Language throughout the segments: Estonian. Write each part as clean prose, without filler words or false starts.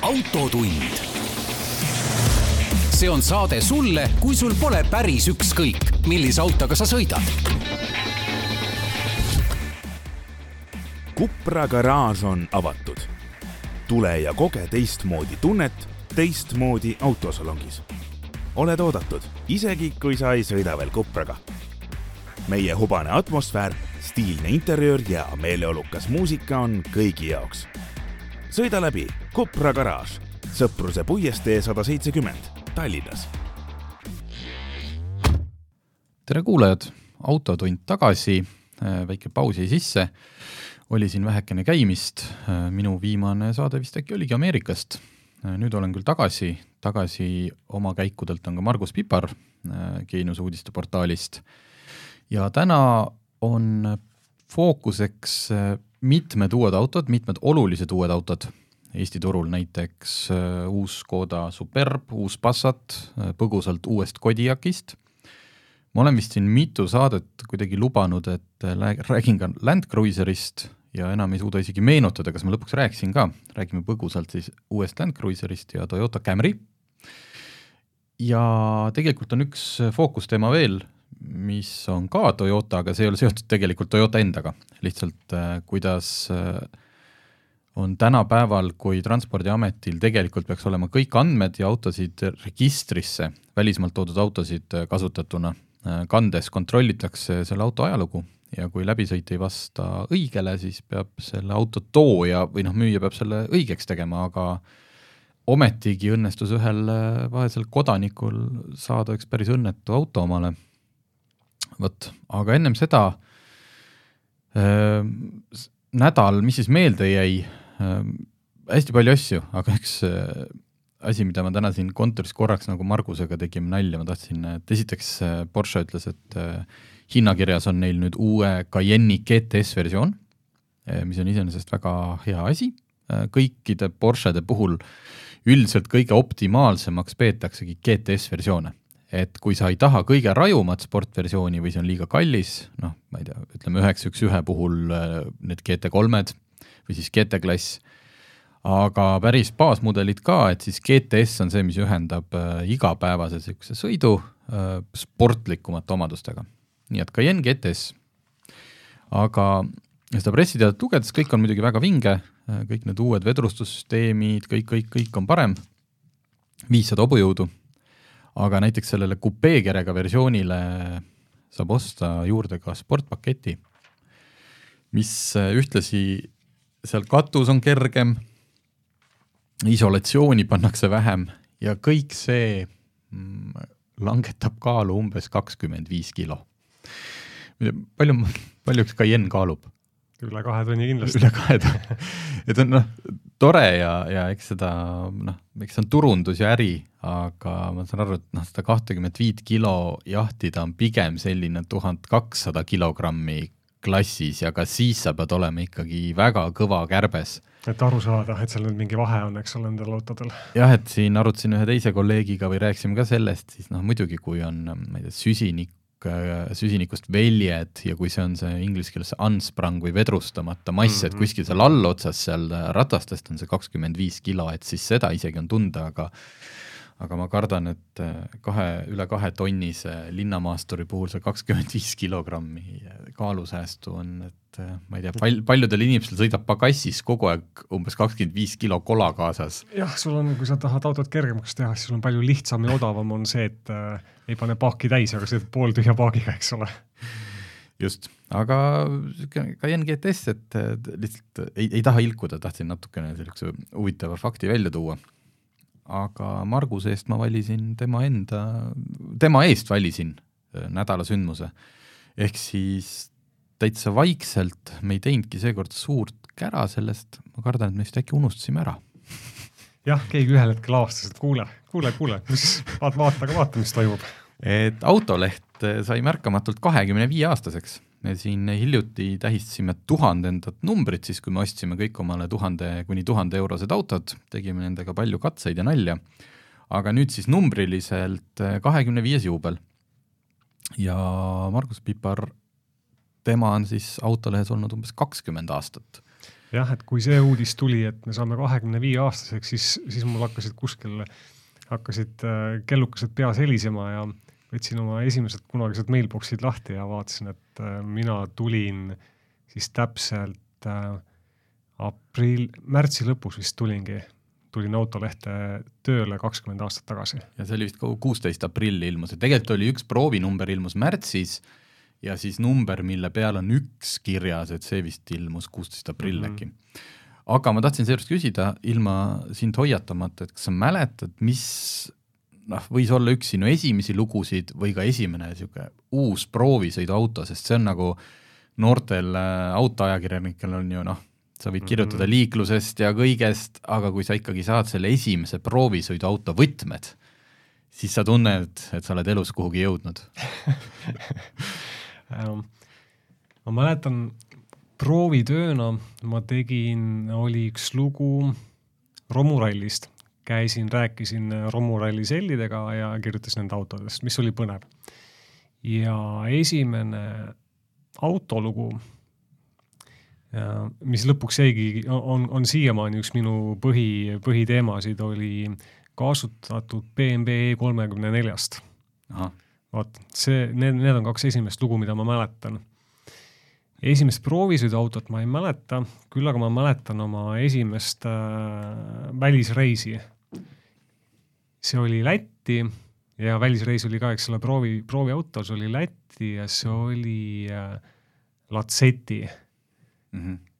autotund. See on saade sulle, kui sul pole päris ükskõik, millise autoga sa sõidad. Cupra garaaž on avatud. Tule ja koge teistmoodi tunnet teistmoodi autosalongis. Oled oodatud, isegi kui sa ei sõida veel Cupraga. Meie hubane atmosfäär, stiilne interiöör ja meeleolukas muusika on kõigi jaoks. Sõida läbi Cupra garaaž, Sõpruse puiestee 170 Tallinnas. Tere kuulajad, autotund tagasi, väike pausi sisse. Oli siin vähekene käimist, minu viimane saade vist äkki oligi Ameerikast. Nüüd olen küll tagasi oma käikudelt on ka Margus Pipar Geenius uudiste portaalist. Ja täna on fookuseks mitmed uued autod, mitmed olulised uued autod. Eesti turul näiteks uus Škoda Superb, uus Passat, põgusalt uuest Kodiaqist. Ma olen vist siin mitu saadet kuidagi lubanud, et räägin ka Land Cruiserist ja enam ei suuda isegi meenutada, kas ma lõpuks rääkisin ka. Räägime põgusalt siis uuest Land Cruiserist ja Toyota Camry. Ja tegelikult on üks fookusteema veel, mis on ka Toyota, aga see ei ole seotud tegelikult Toyota endaga. Lihtsalt kuidas on tänapäeval, kui Transpordiametil tegelikult peaks olema kõik andmed ja autosid registrisse, välismaalt toodud autosid kasutatuna kandes kontrollitakse selle auto ajalugu ja kui läbisõit ei vasta õigele, siis peab selle auto tooja või müüja peab selle õigeks tegema, aga ometigi õnnestus ühel vaesel kodanikul saada üks päris õnnetu auto omale. Aga ennem seda nädal, mis siis meelde jäi, hästi palju asju, aga üks asi, mida ma täna siin kontoris korraks nagu Margusega tegime nalja, ma tahtsin, et esiteks Porsche ütles, et hinnakirjas on neil nüüd uue Cayenne'i GTS versioon, mis on iseenesest väga hea asi. Kõikide Porschede puhul üldiselt kõige optimaalsemaks peetaksegi GTS versioone. Et kui sa ei taha kõige rajumat sportversiooni või see on liiga kallis, ma ei tea, ütleme 911 puhul need GT3-d või siis GT-klass, aga päris baasmudelid ka, et siis GTS on see, mis ühendab igapäevase sõidu sportlikumate omadustega. Nii et Cayenne GTS. Aga seda pressiteadet lugedes, kõik on muidugi väga vinge, kõik need uued vedrustussüsteemid, kõik on parem, 500 hobujõudu. Aga näiteks sellele kupeekerega versioonile saab osta juurde ka sportpaketi, mis ühtlasi seal katus on kergem, isolatsiooni pannakse vähem ja kõik see langetab kaalu umbes 25 kilo. Palju üks Cayenne kaalub? Üle 2 tonni kindlasti. Üle 2 tonni. Et on tore ja eks seda, eks on turundus ja äri, aga ma saan aru, et seda 25 kilo jahtida on pigem selline 1200 kilogrammi klassis ja ka siis sa pead olema ikkagi väga kõva kärbes. Et aru saada, et seal nüüd mingi vahe on, eks ole, nendel autodel. Jah, et siin arutasin ühe teise kolleegiga või rääksime ka sellest, siis muidugi kui on ma ei tea, süsinikust väljed ja kui see on see inglise keeles unsprung või vedrustamata mass, et kuskil seal all otsas seal ratastest on see 25 kilo, et siis seda isegi on tunda, aga ma kardan, et üle 2 tonnise linnamaasturi puhul see 25 kilogrammi kaalusäästu on, et ma ei tea, paljudel inimestel sõidab pagassis kogu aeg umbes 25 kilo kola kaasas. Jah, sul on, kui sa tahad autot kergemaks teha, siis sul on palju lihtsam ja odavam on see, et ei pane paaki täis, aga see pool tühja paagiga, eks ole. Just, aga Cayenne GTS, et lihtsalt ei taha ilkuda, tahtsin natukene sellise huvitava fakti välja tuua. Aga Marguse eest ma valisin tema eest valisin nädala sündmuse. Ehk siis täitsa vaikselt me ei teinudki seekord suurt kära sellest, ma kardan, et me vist äkki unustasime ära. Jah, keegi ühel hetkel avastas, et kuule, vaata, mis toimub. Et autoleht sai märkamatult 25-aastaseks. Me siin hiljuti tähistasime 1000 numbrit, siis kui me ostsime kõik omale 1000 kuni 1000 eurosed autod, tegime nendega palju katseid ja nalja. Aga nüüd siis numbriliselt 25 juubel. Ja Margus Pipar, tema on siis autolehes olnud umbes 20 aastat. jah, et kui see uudis tuli, et me saame 25-aastaseks, siis mul hakkasid kellukesed peas helisema ja võtsin oma esimesed kunagised mailboxid lahti ja vaatasin, et mina tulin siis täpselt märtsi lõpus vist tulin Autolehte tööle 20 aastat tagasi. Ja see oli vist 16 aprilli ilmus, et tegelikult oli üks proovinumber ilmus märtsis ja siis number, mille peal on üks kirjas, et see vist ilmus 16 aprill äkki. Aga ma tahtsin seejuures küsida ilma sind hoiatamata, et kas sa mäletad, mis võis olla üks sinu esimesi lugusid või ka esimene uus proovisõiduauto, sest see on nagu noortel autoajakirjanikel on ju sa võid kirjutada liiklusest ja kõigest, aga kui sa ikkagi saad selle esimese proovisõiduauto võtmed, siis sa tunned, et sa oled elus kuhugi jõudnud. Ma mäletan, proovitööna ma oli üks lugu romurallist. Rääkisin romuralli sellidega ja kirjutasin nende autodest, mis oli põnev. Ja esimene autolugu, mis lõpuks on siiamaani üks minu põhiteemasid, oli kasutatud BMW E34-st. Vaat, need on 2 esimest lugu, mida ma mäletan. Esimest proovisõiduautot ma ei mäleta, küll aga ma mäletan oma esimest välisreisi. See oli Lätti ja välisreis oli ka, eks selle prooviauto, see oli Lätti ja see oli Lacetti.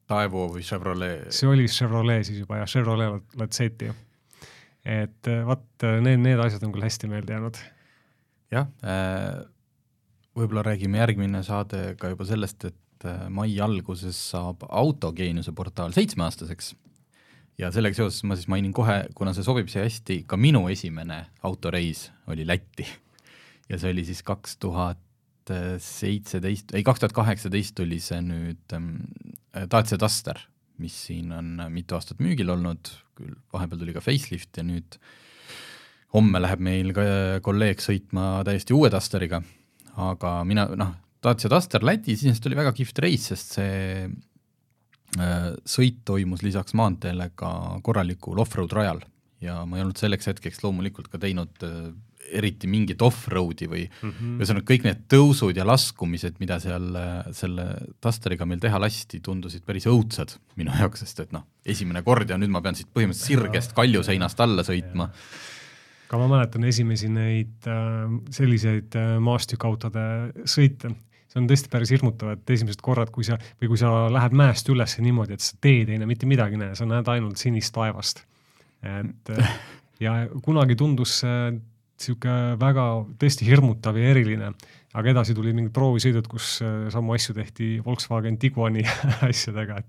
Taivo või Chevrolet? See oli Chevrolet siis juba ja Chevrolet Lacetti. Et need asjad on küll hästi meelde jäänud. Jah, võib-olla räägime järgmine saade ka juba sellest, et mai alguses saab Autogeeniuse portaal 7-aastaseks ja sellega seoses ma siis mainin kohe, kuna see sobib see hästi, ka minu esimene autoreis oli Lätti ja see oli siis 2018 oli see nüüd Dacia Duster, mis siin on mitu aastat müügil olnud, küll vahepeal tuli ka facelift ja nüüd homme läheb meil ka kolleeg sõitma täiesti uue Dusteriga, aga mina, Dacia Duster Lätis siis oli väga kihvt reis, sest see sõit toimus lisaks maanteele ka korralikul off-road rajal ja ma ei olnud selleks hetkeks loomulikult ka teinud eriti mingit off-roadi või kõik need tõusud ja laskumised, mida seal selle Dusteriga meil teha lasti, tundusid päris õudsad minu jaoks, sest et esimene kord ja nüüd ma pean siit põhimõtteliselt sirgest kaljuseinast alla sõitma. Ka ma mäletan esimesi neid selliseid maastükautode sõite. See on tõesti päris hirmutav, et esimesed korrad, kui sa lähed mäest üles niimoodi, et sa teed ei näe mitte midagi näe, sa näed ainult sinist taevast. Ja kunagi tundus siuke väga tõesti hirmutav ja eriline, aga edasi tuli mingid proovisõidud, kus samu asju tehti Volkswagen Tiguani asjadega,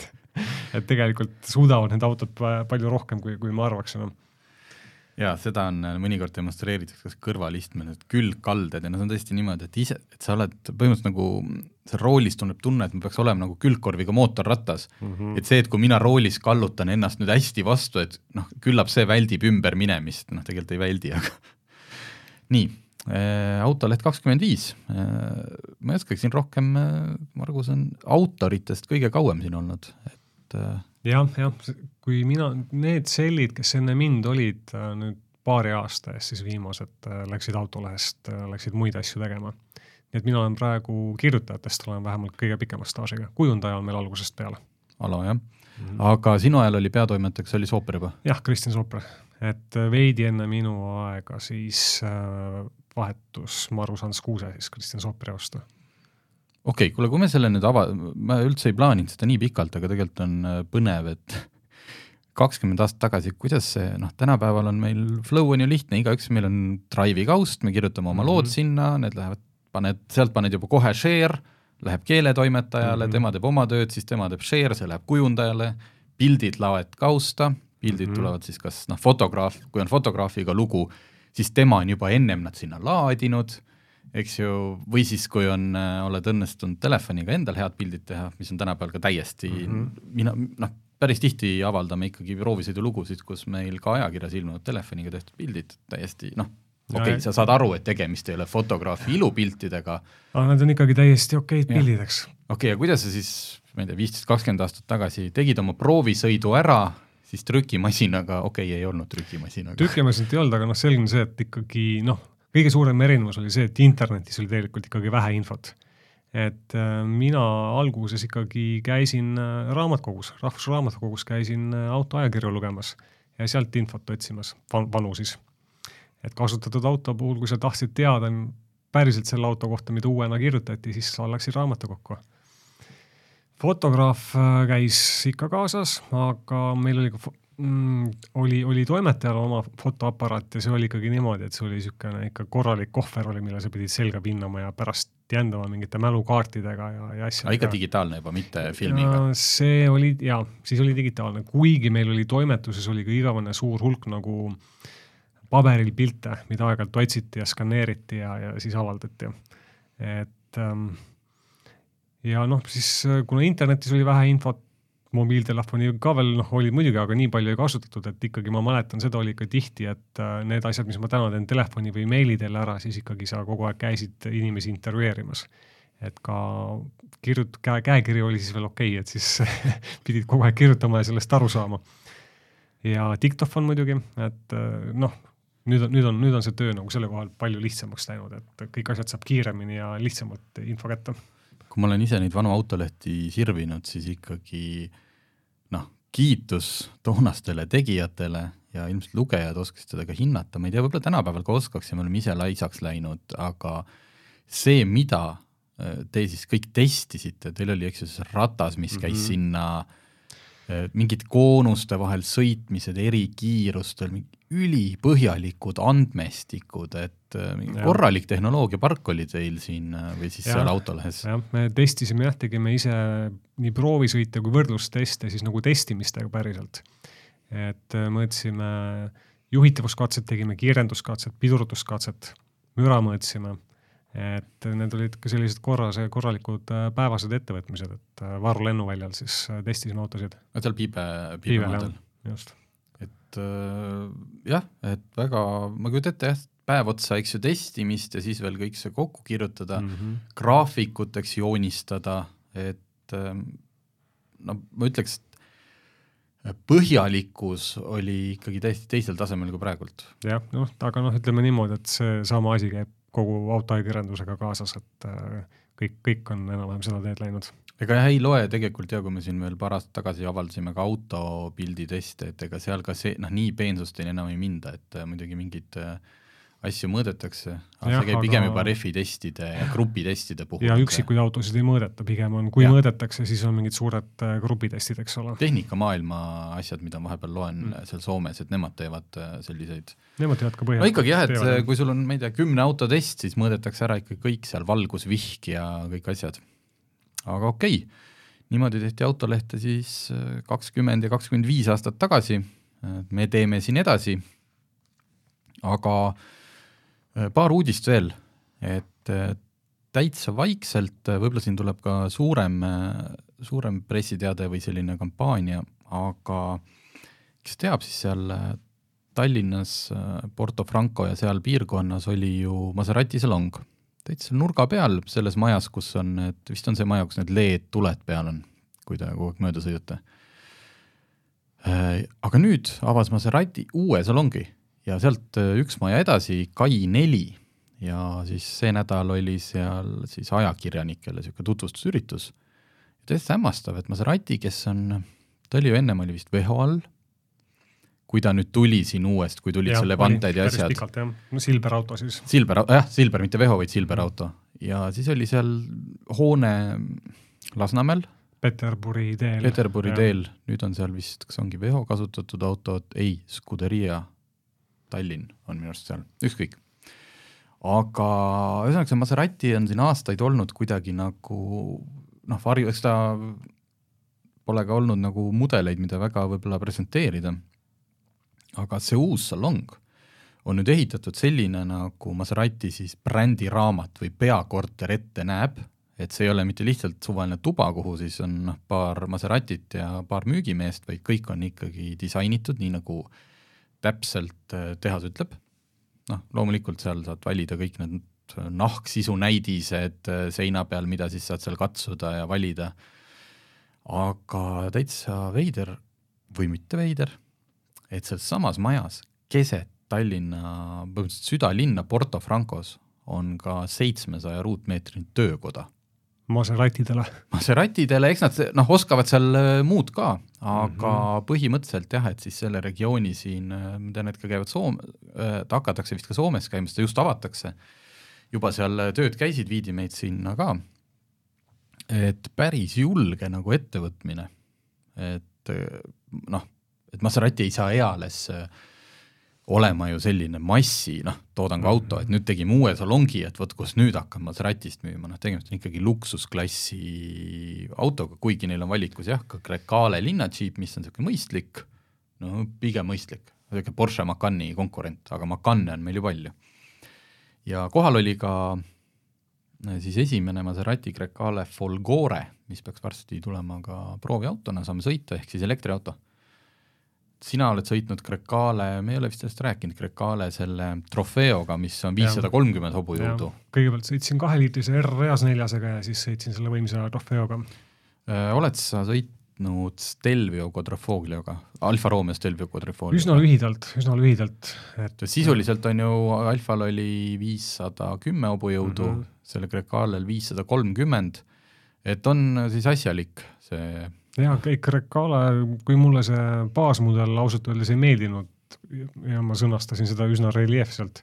et tegelikult suudavad need autod palju rohkem, kui ma arvaksin. Ja seda on mõnikord demonstreeritud kas kõrvalistmed, et külgkalded ja see on tõesti niimoodi, et sa oled põhimõtteliselt nagu see roolis tunneb tunne, et ma peaks olema nagu külgkorviga mootorrattas. Et see, et kui mina roolis kallutan ennast nüüd hästi vastu, et küllap see väldib ümber minemist, tegelikult ei väldi, aga nii, Autoleht 25. Ma ei oskaksin rohkem, Margus on autoritest kõige kauem siin olnud, et jah, kui need sellid, kes enne mind olid nüüd paari aasta eest, siis viimased läksid Autolehest, läksid muid asju tegema. Nii et mina olen praegu kirjutajatest, olen vähemalt kõige pikema staažiga. Kujundaja on meil algusest peale. Alo, jah. Aga sinu ajal oli peatoimetajaks, oli Sooper juba? Jah, Kristjan Sooper. Et veidi enne minu aega siis vahetus Marus Hans Kuuse siis Kristjan Sooperi vastu. Okei, kuule, kui me selle nüüd ma üldse ei plaaninud seda nii pikalt, aga tegelikult on põnev, et 20 aastat tagasi, kuidas see, tänapäeval on meil flow on ju lihtne, igaüks meil on Drive'i kaust, me kirjutame oma lood sinna, need lähevad, sealt paned juba kohe share, läheb keeletoimetajale, tema teeb oma tööd, siis tema teeb share, see läheb kujundajale, pildid laoed kausta, pildid tulevad siis kas fotograaf, kui on fotograafiga lugu, siis tema on juba ennem nad sinna laadinud, eks ju, või siis kui oled õnnestunud telefoniga endal head pildid teha, mis on tänapäeval ka täiesti, päris tihti avaldame ikkagi proovisõidu lugusid, kus meil ka ajakirjas ilmunud telefoniga tehtud pildid täiesti, okei, sa saad aru, et tegemist ei ole fotograafi ilupiltidega. Aga need on ikkagi täiesti okeid pildideks. Okei, ja kuidas sa siis, ma ei tea, 15-20 aastat tagasi tegid oma proovisõidu ära, siis trükimasinaga, ei olnud trükimasinaga. Trükimasinat ei olnud, aga selge on see, et ikkagi kõige suurem erinevus oli see, et internetis oli tegelikult ikkagi vähe infot. Et mina alguses ikkagi käisin raamatkogus, Rahvusraamatukogus käisin autoajakirju lugemas ja sealt infot otsimas, vanu siis. Et kasutatud auto puhul, kui sa tahtsid teada päriselt selle auto kohta, mida uuena kirjutati, siis sa läksid raamatukokku. Fotograaf käis ikka kaasas, aga meil oli toimetajal oma fotoaparaat ja see oli ikkagi niimoodi, et see oli niisugune ikka korralik kohver oli, mille sa pidid selga pinnama ja pärast jändama mingite mälukaartidega ja asjadega. Ikka digitaalne juba, mitte filmiga? See oli, siis oli digitaalne. Kuigi meil oli toimetuses oli ka igavene suur hulk nagu paberil pilte, mida aeg-ajalt otsiti ja skaneeriti ja siis avaldati. Et ja siis kuna internetis oli vähe infot, mobiiltelefoni ka veel oli muidugi, aga nii palju ei kasutatud, et ikkagi ma mäletan, seda oli ikka tihti, et need asjad, mis ma täna teen telefoni või meili teele ära, siis ikkagi sa kogu aeg käisid inimesi intervjueerimas. Et ka käekiri oli siis veel et siis pidid kogu aeg kirjutama ja sellest aru saama. Ja diktofon muidugi, et nüüd on see töö nagu selle kohal palju lihtsamaks läinud, et kõik asjad saab kiiremini ja lihtsamalt info kätte. Kui ma olen ise neid vanu autolehti sirvinud, siis ikkagi kiitus toonastele tegijatele ja ilmselt lugejad oskasid seda ka hinnata. Ma ei tea, võib-olla tänapäeval ka oskaks ja me oleme ise laisaks läinud, aga see, mida te siis kõik testisite, teil oli ratas, mis käis sinna mingid koonuste vahel sõitmised, eri kiirustel, ülipõhjalikud andmestikud, et korralik tehnoloogiapark oli teil siin või siis seal autolehes. Jah, me testisime tegime ise nii proovisõite kui võrdlusteste siis nagu testimistega päriselt. Et mõõtsime juhitavuskatset, tegime kiirenduskatset, pidurduskatset, müra mõõtsime. Et need olid ka sellised korralikud päevased ettevõtmised, et Varu lennuväljal siis testisime autosid. Seal piibemadel. Just. Et jah, et väga, ma kujutan ette päev otsa, testimist ja siis veel kõik see kokku kirjutada, graafikuteks joonistada, et ma ütleks, põhjalikkus oli ikkagi täiesti teisel tasemel kui praegult. Jah, aga ütleme niimoodi, et see sama asi käib kogu autoajakirjandusega kaasas, et kõik on enam-vähem seda teed läinud. Ega ei loe tegelikult kui me siin veel paar aastat tagasi avaldasime ka autopilditeste, et ega seal ka see, nii peensusteni enam ei minda, et muidugi mingid asju mõõdetakse, aga see käib pigem juba refi-testide ja grupitestide puhul. Ja üksikuid autosid ei mõõdeta, pigem on, kui mõõdetakse, siis on mingid suured grupitestid, eks ole. Tehnikamaailma asjad, mida vahepeal loen seal Soomes, et nemad teevad selliseid. Nemad teevad ka põhjalt. No ikkagi et kui sul on, ma ei tea, 10 autotest, siis mõõdetakse ära ikka kõik seal valgusvihk ja kõik asjad. Aga niimoodi tehti autolehte siis 20 ja 25 aastat tagasi. Me teeme siin edasi, aga paar uudist veel, et täitsa vaikselt, võib-olla siin tuleb ka suurem pressiteade või selline kampaania, aga kes teab, siis seal Tallinnas, Porto Franco ja seal piirkonnas oli ju Maserati salong. Täitsa nurga peal selles majas, kus on, vist on see maja, kus need LED-tuled peal on, kui te kogu aeg mööda sõidate. Aga nüüd avas Maserati uue salongi ja sealt üks maja edasi, Kai 4 ja siis see nädal oli seal siis ajakirjanikele selline tutvustusüritus. Täiesti hämmastav, et Maserati, kes on, ta oli ju ennem oli vist Veho all, kui ta nüüd tuli siin uuest, kui tulid selle vanteid ja asjad. Pikalt, jah. Silber auto siis. Silber, mitte Veho, vaid Silber auto. Ja siis oli seal hoone Lasnamäel. Peterburi teel. Nüüd on seal vist, kas ongi Veho kasutatud auto, ei, Scuderia Tallinn on minu arust seal, ükskõik. Aga ühesõnaga see Maserati on siin aastaid olnud kuidagi nagu, eks ta pole ka olnud nagu mudeleid, mida väga võib-olla presenteerida. Aga see uus salong on nüüd ehitatud selline nagu Maserati siis brändiraamat või peakorter ette näeb, et see ei ole mitte lihtsalt suvaline tuba, kuhu siis on paar Maseratit ja paar müügimeest, vaid kõik on ikkagi disainitud, nii nagu täpselt tehas ütleb. Loomulikult seal saad valida kõik need nahksisu näidised seina peal, mida siis saad seal katsuda ja valida. aga täitsa veider või mitte veider, et seal samas majas keset Tallinna, südalinna Porto Francos on ka 700 ruutmeetrini töökoda. Maseratidele, eks nad oskavad seal muud ka, aga põhimõtteliselt jah, et siis selle regiooni siin, ma tean, et ka käivad hakatakse vist ka Soomes käima, seda just avatakse, juba seal tööd käisid, viidi meid sinna ka, et päris julge nagu ettevõtmine, et et Maserati ei saa eales olema ju selline massi, toodangu auto, et nüüd tegime uue salongi, et võt, kus nüüd hakkab Maseratist müüma, tegemist on ikkagi luksusklassi autoga, kuigi neil on valikus jah, ka Grecale linnadžiip, mis on selline mõistlik, pigem mõistlik, selline Porsche Macani konkurent, aga Macane on meil ju palju. Ja kohal oli ka siis esimene Maserati Grecale Folgore, mis peaks varsti tulema ka prooviautona, saame sõita, ehk siis elektriauto. Sina oled sõitnud Grecale, me ei ole vist sellest rääkinud, Grecale selle trofeoga, mis on 530 hobujõudu. Kõigepealt sõitsin 2-liitrise R-reas 4-sega ja siis sõitsin selle võimsa trofeoga. Oled sa sõitnud Stelvio Quadrifoglioga, Alfa Romeo Stelvio Quadrifoglioga? Üsna lühidalt. Et sisuliselt on ju, Alfal oli 510 hobujõudu, selle Grecalel 530, et on siis asjalik see... Ja Grecale, kui mulle see baasmudel ausalt öeldes ei meeldinud ja ma sõnastasin seda üsna reliefselt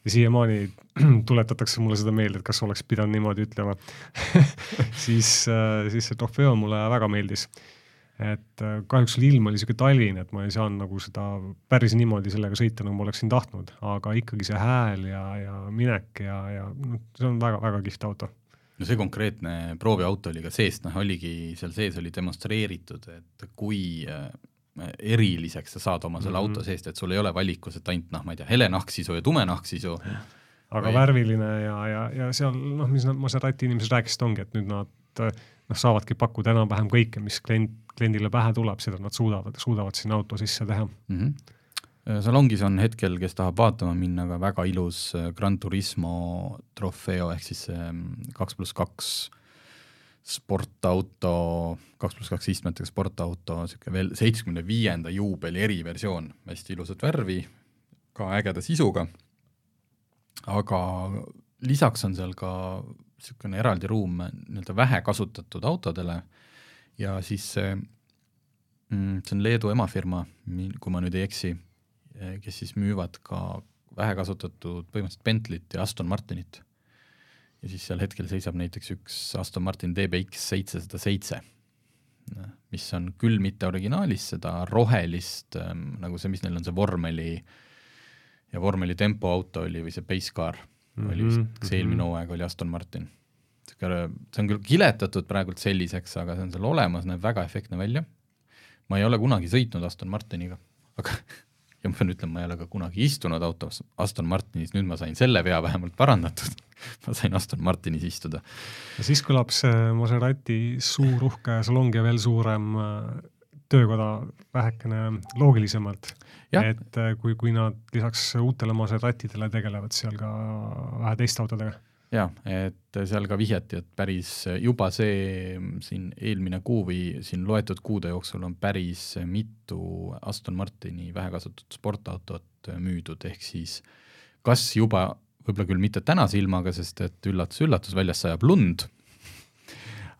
ja siiamaani tuletatakse mulle seda meelde, et kas oleks pidanud niimoodi ütlema, siis see trofeo mulle väga meeldis. Et kahjuks ilm oli selline talvine, et ma ei saanud nagu seda päris niimoodi sellega sõita, nagu ma oleksin tahtnud, aga ikkagi see hääl ja minek ja see on väga kihvt auto. No see konkreetne prooviauto oli ka seest, oligi seal sees oli demonstreeritud, et kui eriliseks sa saad oma selle auto seest, et sul ei ole valikus, et ainult, ma ei tea, hele nahksisu ja tume nahksisu. Aga värviline ja seal, mis Maserati inimesed rääkisid ongi, et nüüd nad saavadki pakkuda enam-vähem kõike, mis kliendile pähe tuleb, seda nad suudavad sinna auto sisse teha. Salongis on hetkel, kes tahab vaatama minna, ka väga ilus Gran Turismo trofeo, ehk siis 2+2 sportauto, 2+2 istmetega sportauto, veel 75. juubeli eriversioon, hästi ilusat värvi, ka ägeda sisuga, aga lisaks on seal ka selline eraldi ruum vähe kasutatud autodele ja siis see on Leedu emafirma, kui ma nüüd ei eksi, kes siis müüvad ka vähe kasutatud põhimõtteliselt Bentleyt ja Aston Martinit. Ja siis seal hetkel seisab näiteks üks Aston Martin DBX 707, mis on küll mitte originaalis, seda rohelist, nagu see, mis neil on see vormeli ja vormeli tempoauto oli või see base car oli vist, kas eelmine hooaeg oli Aston Martin. See on küll kiletatud praegult selliseks, aga see on seal olemas, näeb väga efektne välja. Ma ei ole kunagi sõitnud Aston Martiniga, aga ja ma pean ütlema, ma ei ole ka kunagi istunud autos Aston Martinis, nüüd ma sain selle vea vähemalt parandatud. Ma sain Aston Martinis istuda. Ja siis kõlab see Maserati suur uhke salong ja veel suurem töökoda vähekene loogilisemalt. Ja. Et kui nad lisaks uutele Maseratidele tegelevad seal ka vähe teist autodega. Ja, et seal ka vihjati, et päris juba see siin eelmine kuu või siin loetud kuude jooksul on päris mitu Aston Martini vähekasutatud sportautot müüdud, ehk siis kas juba, võib-olla küll mitte tänase ilmaga, sest et üllatus väljas sajab lund,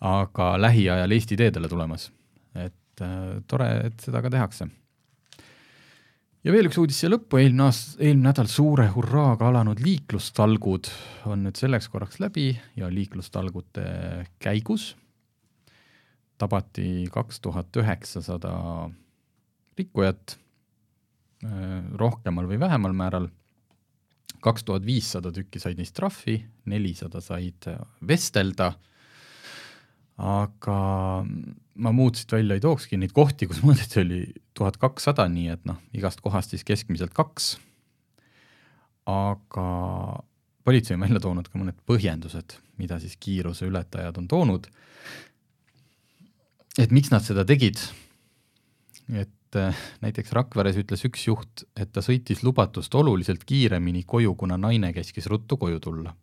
aga lähiajal Eesti teedele tulemas. Et tore, et seda ka tehakse. Ja veel üks uudis siia lõppu, eelmine nädal suure hurraaga alanud liiklustalgud on nüüd selleks korraks läbi ja liiklustalgute käigus tabati 2900 rikkujat rohkemal või vähemal määral, 2500 tükki said neist trahvi, 400 said vestelda, aga ma muud siit välja ei tookski, neid kohti, kus mõõdeti oli 1200, nii et igast kohast siis keskmiselt 2. Aga politsei on välja toonud ka mõned põhjendused, mida siis kiiruse ületajad on toonud. Et miks nad seda tegid? Et näiteks Rakveres ütles üks juht, et ta sõitis lubatust oluliselt kiiremini koju, kuna naine käskis ruttu koju tulla.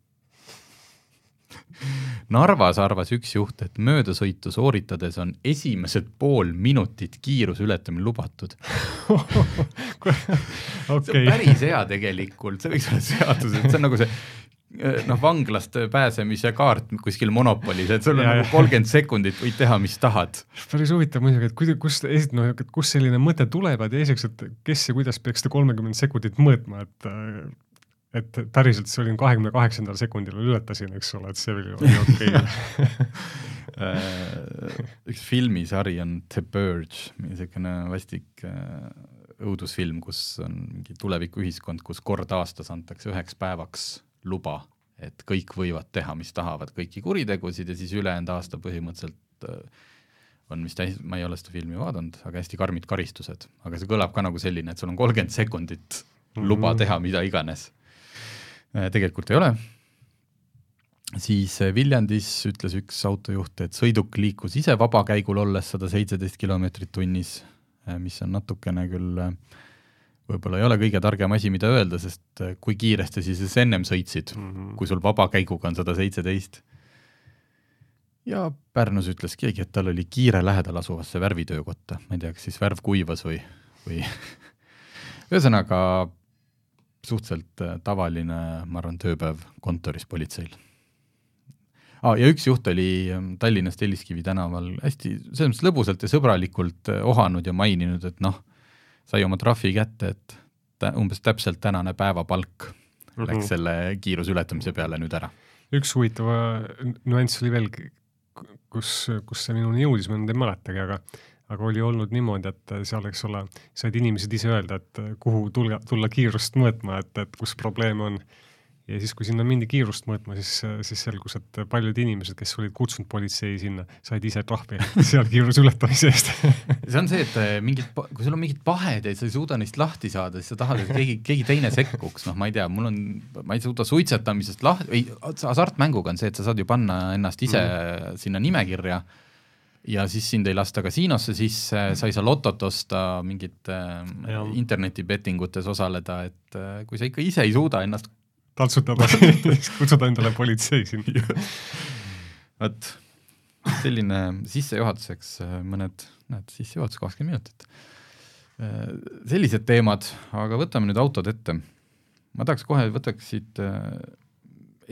Narvas arvas üks juht, et möödasõitu sooritades on esimesed 5 minutit kiiruse ületamine lubatud. Okay. See on päris hea tegelikult, see võiks olla seadus, et see on nagu see vanglast pääsemise kaart kuskil Monopolis, et sul on nagu 30 sekundit võid teha, mis tahad. Päris huvitav muidugi, et kus selline mõte tuleb ja teiseks, et kes ja kuidas peaks 30 sekundit mõõtma, et päriselt see oli 28. sekundil ületasin, eks ole, et see oli okei. Üks filmisari on The Purge, selline vastik õudusfilm, kus on mingi tulevikuühiskond, kus kord aastas antakse 1 päevaks luba, et kõik võivad teha, mis tahavad, kõiki kuritegusid ja siis ülejäänud aasta põhimõtteliselt on vist, ma ei ole seda filmi vaadanud, aga hästi karmid karistused. Aga see kõlab ka nagu selline, et sul on 30 sekundit luba teha mida iganes. Tegelikult ei ole. Siis Viljandis ütles üks autojuht, et sõiduk liikus ise vabakäigul olles 117 kilomeetrit tunnis, mis on natukene küll võib-olla ei ole kõige targem asi, mida öelda, sest kui kiiresti siis ennem sõitsid, kui sul vabakäiguga on 117. Ja Pärnus ütles keegi, et tal oli kiire lähedal asuvasse värvitöökotta. Ma ei tea, kas siis värv kuivas või ühesõnaga suhteliselt tavaline, ma arvan, tööpäev kontoris politseil. Ja üks juht oli Tallinnast Telliskivi tänaval hästi selles lõbusalt ja sõbralikult ohanud ja maininud, et sai oma trahvi kätte, et umbes täpselt tänane päevapalk läks selle kiirusületamise peale nüüd ära. Üks huvitava nüanss oli veel, kus see minuni jõudis, ma nüüd ei mäletagi, aga oli olnud niimoodi, et seal, eks ole, said inimesed ise öelda, et kuhu tulla kiirust mõõtma, et kus probleem on. Ja siis, kui sinna mindi kiirust mõõtma, siis selgus, et paljud inimesed, kes olid kutsunud politsei sinna, said ise trahvi seal kiiruse ületamise eest. See on see, et kui sul on mingid pahed ja sa ei suuda neist lahti saada, siis sa tahad, et keegi teine sekkuks. Ma ei tea, ma ei suuda suitsetamisest hasartmänguga on see, et sa saad ju panna ennast ise sinna nimekirja ja siis sind ei lasta kasiinosse sisse, sa ei saa lotot osta, mingit internetibettingutes osaleda, et kui sa ikka ise ei suuda ennast taltsutada, kutsuda endale politsei siin. Võt, selline sissejuhatuseks sissejuhatus 20 minutit. Sellised teemad, aga võtame nüüd autod ette. Ma tahaks kohe võtaksid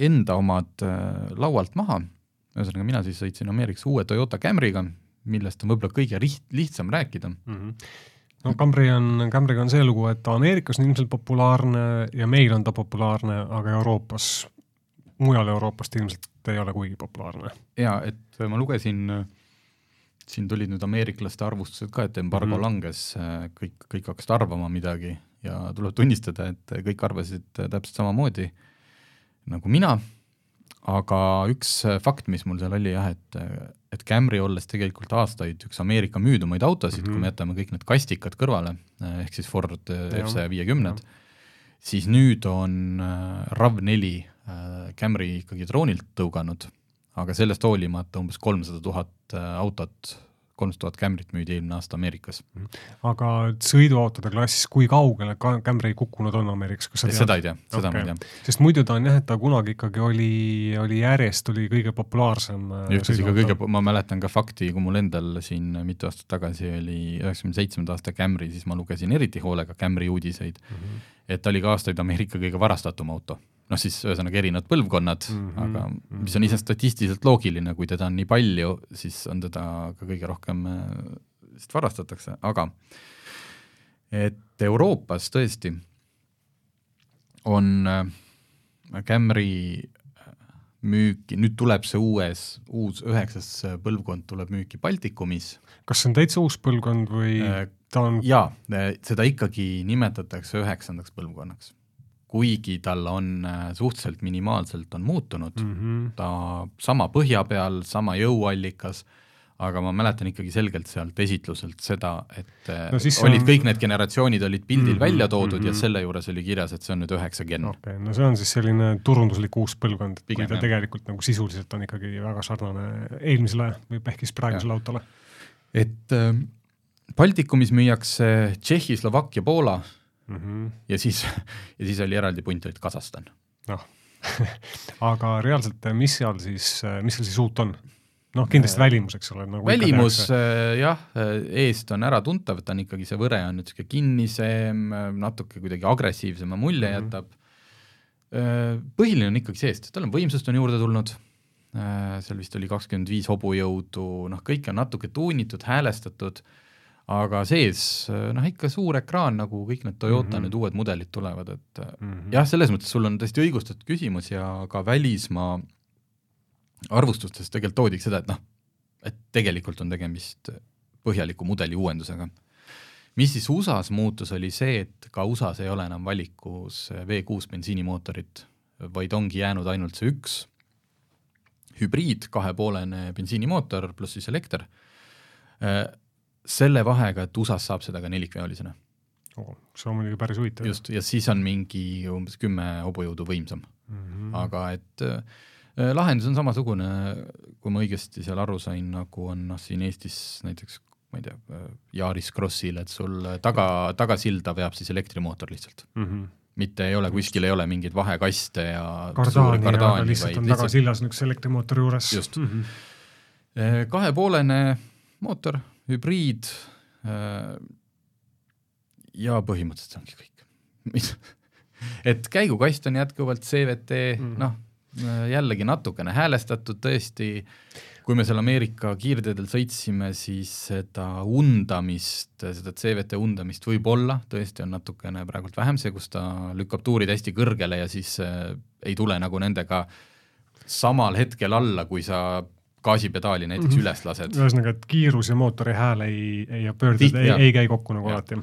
enda omad laualt maha. Ühesõnaga, mina siis sõitsin Ameerikas uue Toyota Camryga, millest on võib-olla kõige lihtsam rääkida. No Camry on see lugu, et Ameerikas on ilmselt populaarne ja meil on ta populaarne, aga mujal Euroopast ilmselt ei ole kuigi populaarne. Ja, et ma lugesin, siin tulid nüüd ameeriklaste arvustused ka, et embargo langes, kõik hakkasid arvama midagi ja tuleb tunnistada, et kõik arvasid täpselt samamoodi nagu mina, aga üks fakt, mis mul seal oli jah, et Camry olles tegelikult aastaid üks Ameerika müüdumaid autosid, kui me jätame kõik need kastikad kõrvale, ehk siis Ford F-150, siis nüüd on RAV4 Camry ikkagi troonilt tõuganud, aga sellest hoolimata umbes 300,000 autot, 300,000 Camryt müüdi eelmine aasta Ameerikas. Aga sõiduautode klassis, kui kaugele Camry kukkunud on Ameerikas? Seda ei tea, seda ma ei tea. Sest muidu ta on jah, et ta kunagi ikkagi oli järjest, oli kõige populaarsem sõiduauto. Ma mäletan ka fakti, kui mul endal siin mitu aastat tagasi oli 97. aasta Camry, siis ma lugesin eriti hoolega Camry uudiseid, et ta oli ka aastaid Ameerika kõige varastatum auto. Siis ühesõnaga erinevad põlvkonnad, aga mis on ise statistiliselt loogiline, kui teda on nii palju, siis on teda ka kõige rohkem varastatakse, aga et Euroopas tõesti on Camry müüki, nüüd tuleb see uus 9. põlvkond tuleb müüki Baltikumis. Kas see on täitsa uus põlvkond või ta on... Jaa, seda ikkagi nimetatakse 9. põlvkonnaks. Kuigi tal on suhteliselt minimaalselt on muutunud, ta sama põhja peal, sama jõuallikas, aga ma mäletan ikkagi selgelt sealt esitluselt seda, et kõik need generatsioonid olid pildil välja toodud ja selle juures oli kirjas, et see on nüüd 9 gen. Okay, no see on siis selline turunduslik uus põlvkond, kui ta tegelikult nagu sisuliselt on ikkagi väga sarnane eelmisele või ehkis praegusele autole. Et Baltikumis müüakse Tšehhi, Slovakkia, Poola, ja siis oli eraldi punt olid Kasahstan. aga reaalselt, mis seal siis uut on? Noh, kindlasti välimus, eks ole. Nagu välimus, jah, eest on ära tuntav, ta on ikkagi see võre on nüüd kinnisem, natuke kuidagi agressiivsema mulje jätab. Põhiline on ikkagi seest, tal on võimsust on juurde tulnud, seal vist oli 25 hobujõudu, kõik on natuke tuunitud, häälestatud, aga sees, ikka suur ekraan, nagu kõik need Toyota nüüd uued mudelid tulevad, et jah, selles mõttes sul on tõesti õigustatud küsimus ja ka välismaa arvustustes tegelikult toodiks seda, et tegelikult on tegemist põhjaliku mudeli uuendusega. Mis siis USAs muutus oli see, et ka USAs ei ole enam valikus V6 bensiinimootorit, vaid ongi jäänud ainult see üks hübriid, 2,5 bensiinimootor pluss siis elekter. Selle vahega, et USAs saab seda ka nelikveolisena. See on muidugi päris huvitav. Just, ja siis on mingi umbes 10 hobujõudu võimsam. Aga et lahendus on samasugune, kui ma õigesti seal aru sain, nagu on siin Eestis näiteks, ma ei tea, Yaris Crossil, et sul tagasilda veab siis elektrimootor lihtsalt. Mitte ei ole, kuskil ei ole mingeid vahekaste ja kardaani lihtsalt on tagasillas üks elektrimootori juures. Just. 2,5 mootor, hübriid ja põhimõtteliselt ongi kõik. Et käigukast on jätkuvalt CVT, jällegi natukene häälestatud tõesti, kui me seal Ameerika kiirteedel sõitsime, siis seda undamist, seda CVT undamist võib olla, tõesti on natukene praegult vähem see, kus ta lükkab tuurid hästi kõrgele ja siis ei tule nagu nendega samal hetkel alla, kui sa gaasipedaali näiteks üles lased. Ühesõnaga, et kiirus ja mootori hääl ei pöördud, ei käi kokku nagu alati.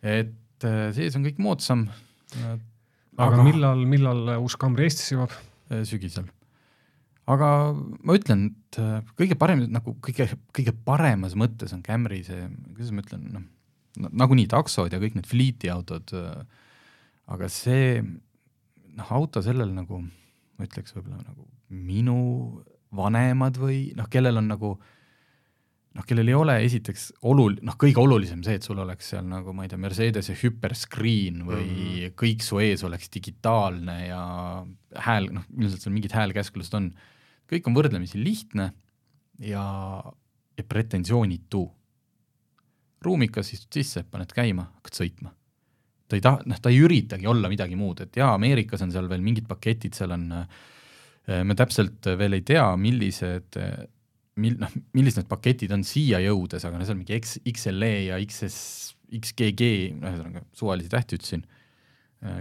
Et sees on kõik moodsam. Aga millal uus Camry Eestis jõuab? Sügisel. Aga ma ütlen, et kõige parem, nagu kõige paremas mõttes on Camry see, kuidas ma ütlen, nagu nii taksod ja kõik need fleeti autod, aga see auto sellel nagu, ma ütleks võib-olla nagu minu vanemad või kellel on nagu, kellel ei ole esiteks kõige olulisem see, et sul oleks seal nagu, ma ei tea, Mercedese hyperscreen või kõik su ees oleks digitaalne ja hääl, ilmselt seal mingid häälkäsklused on. Kõik on võrdlemisi lihtne ja pretensioonitu. Ruumikas istud sisse, paned käima, hakkad sõitma. Ta ei üritagi olla midagi muud, et jaa, Ameerikas on seal veel mingid paketid, seal on, me täpselt veel ei tea, millised need paketid on siia jõudes, aga see on mingi XLE ja XGG, suvalisi tähti ütlesin.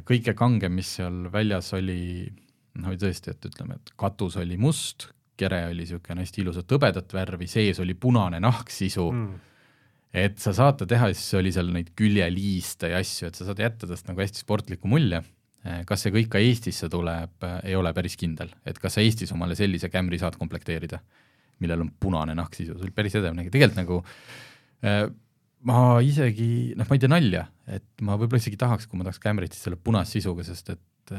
Kõige kangem, mis seal väljas oli, tõesti, et ütleme, et katus oli must, kere oli niisugune hästi ilusat tõbedat värvi, sees oli punane nahksisu, et sa saad ta teha, siis oli seal neid küljeliiste ja asju, et sa saad jätta tast nagu hästi sportliku mulje. Kas see kõik ka Eestisse tuleb, ei ole päris kindel, et kas sa Eestis omale sellise Camry saad komplekteerida, millel on punane nahksisu, see oli päris edev. Tegelikult nagu ma isegi, ma ei tea nalja, et ma võib-olla isegi tahaks, kui ma tahaks Camryt selle punas sisuga, sest et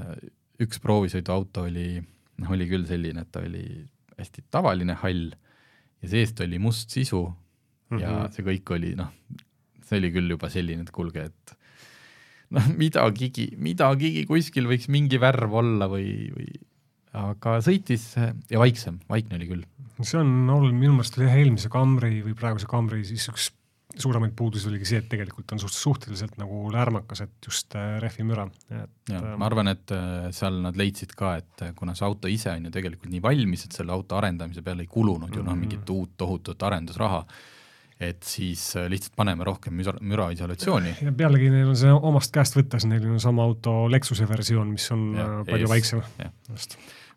üks proovisõiduauto oli küll selline, et ta oli hästi tavaline hall ja seest oli must sisu ja see kõik oli, see oli küll juba selline, et kulge, et midagigi kuskil võiks mingi värv olla või aga sõitis ja vaikne oli küll. See on olnud, minu meelest oli eelmise Camry või praeguse Camry, siis üks suuremaid puudusi oligi see, et tegelikult on suhteliselt nagu lärmakas, et just rehvimüra. Ma arvan, et seal nad leidsid ka, et kuna see auto ise on ju tegelikult nii valmis, et selle auto arendamise peale ei kulunud ju mingit uut tohutut arendusraha, et siis lihtsalt paneme rohkem müraisolatsiooni. Ja pealegi neil on see omast käest võttes, neil on sama auto Lexuse versioon, mis on palju vaiksem.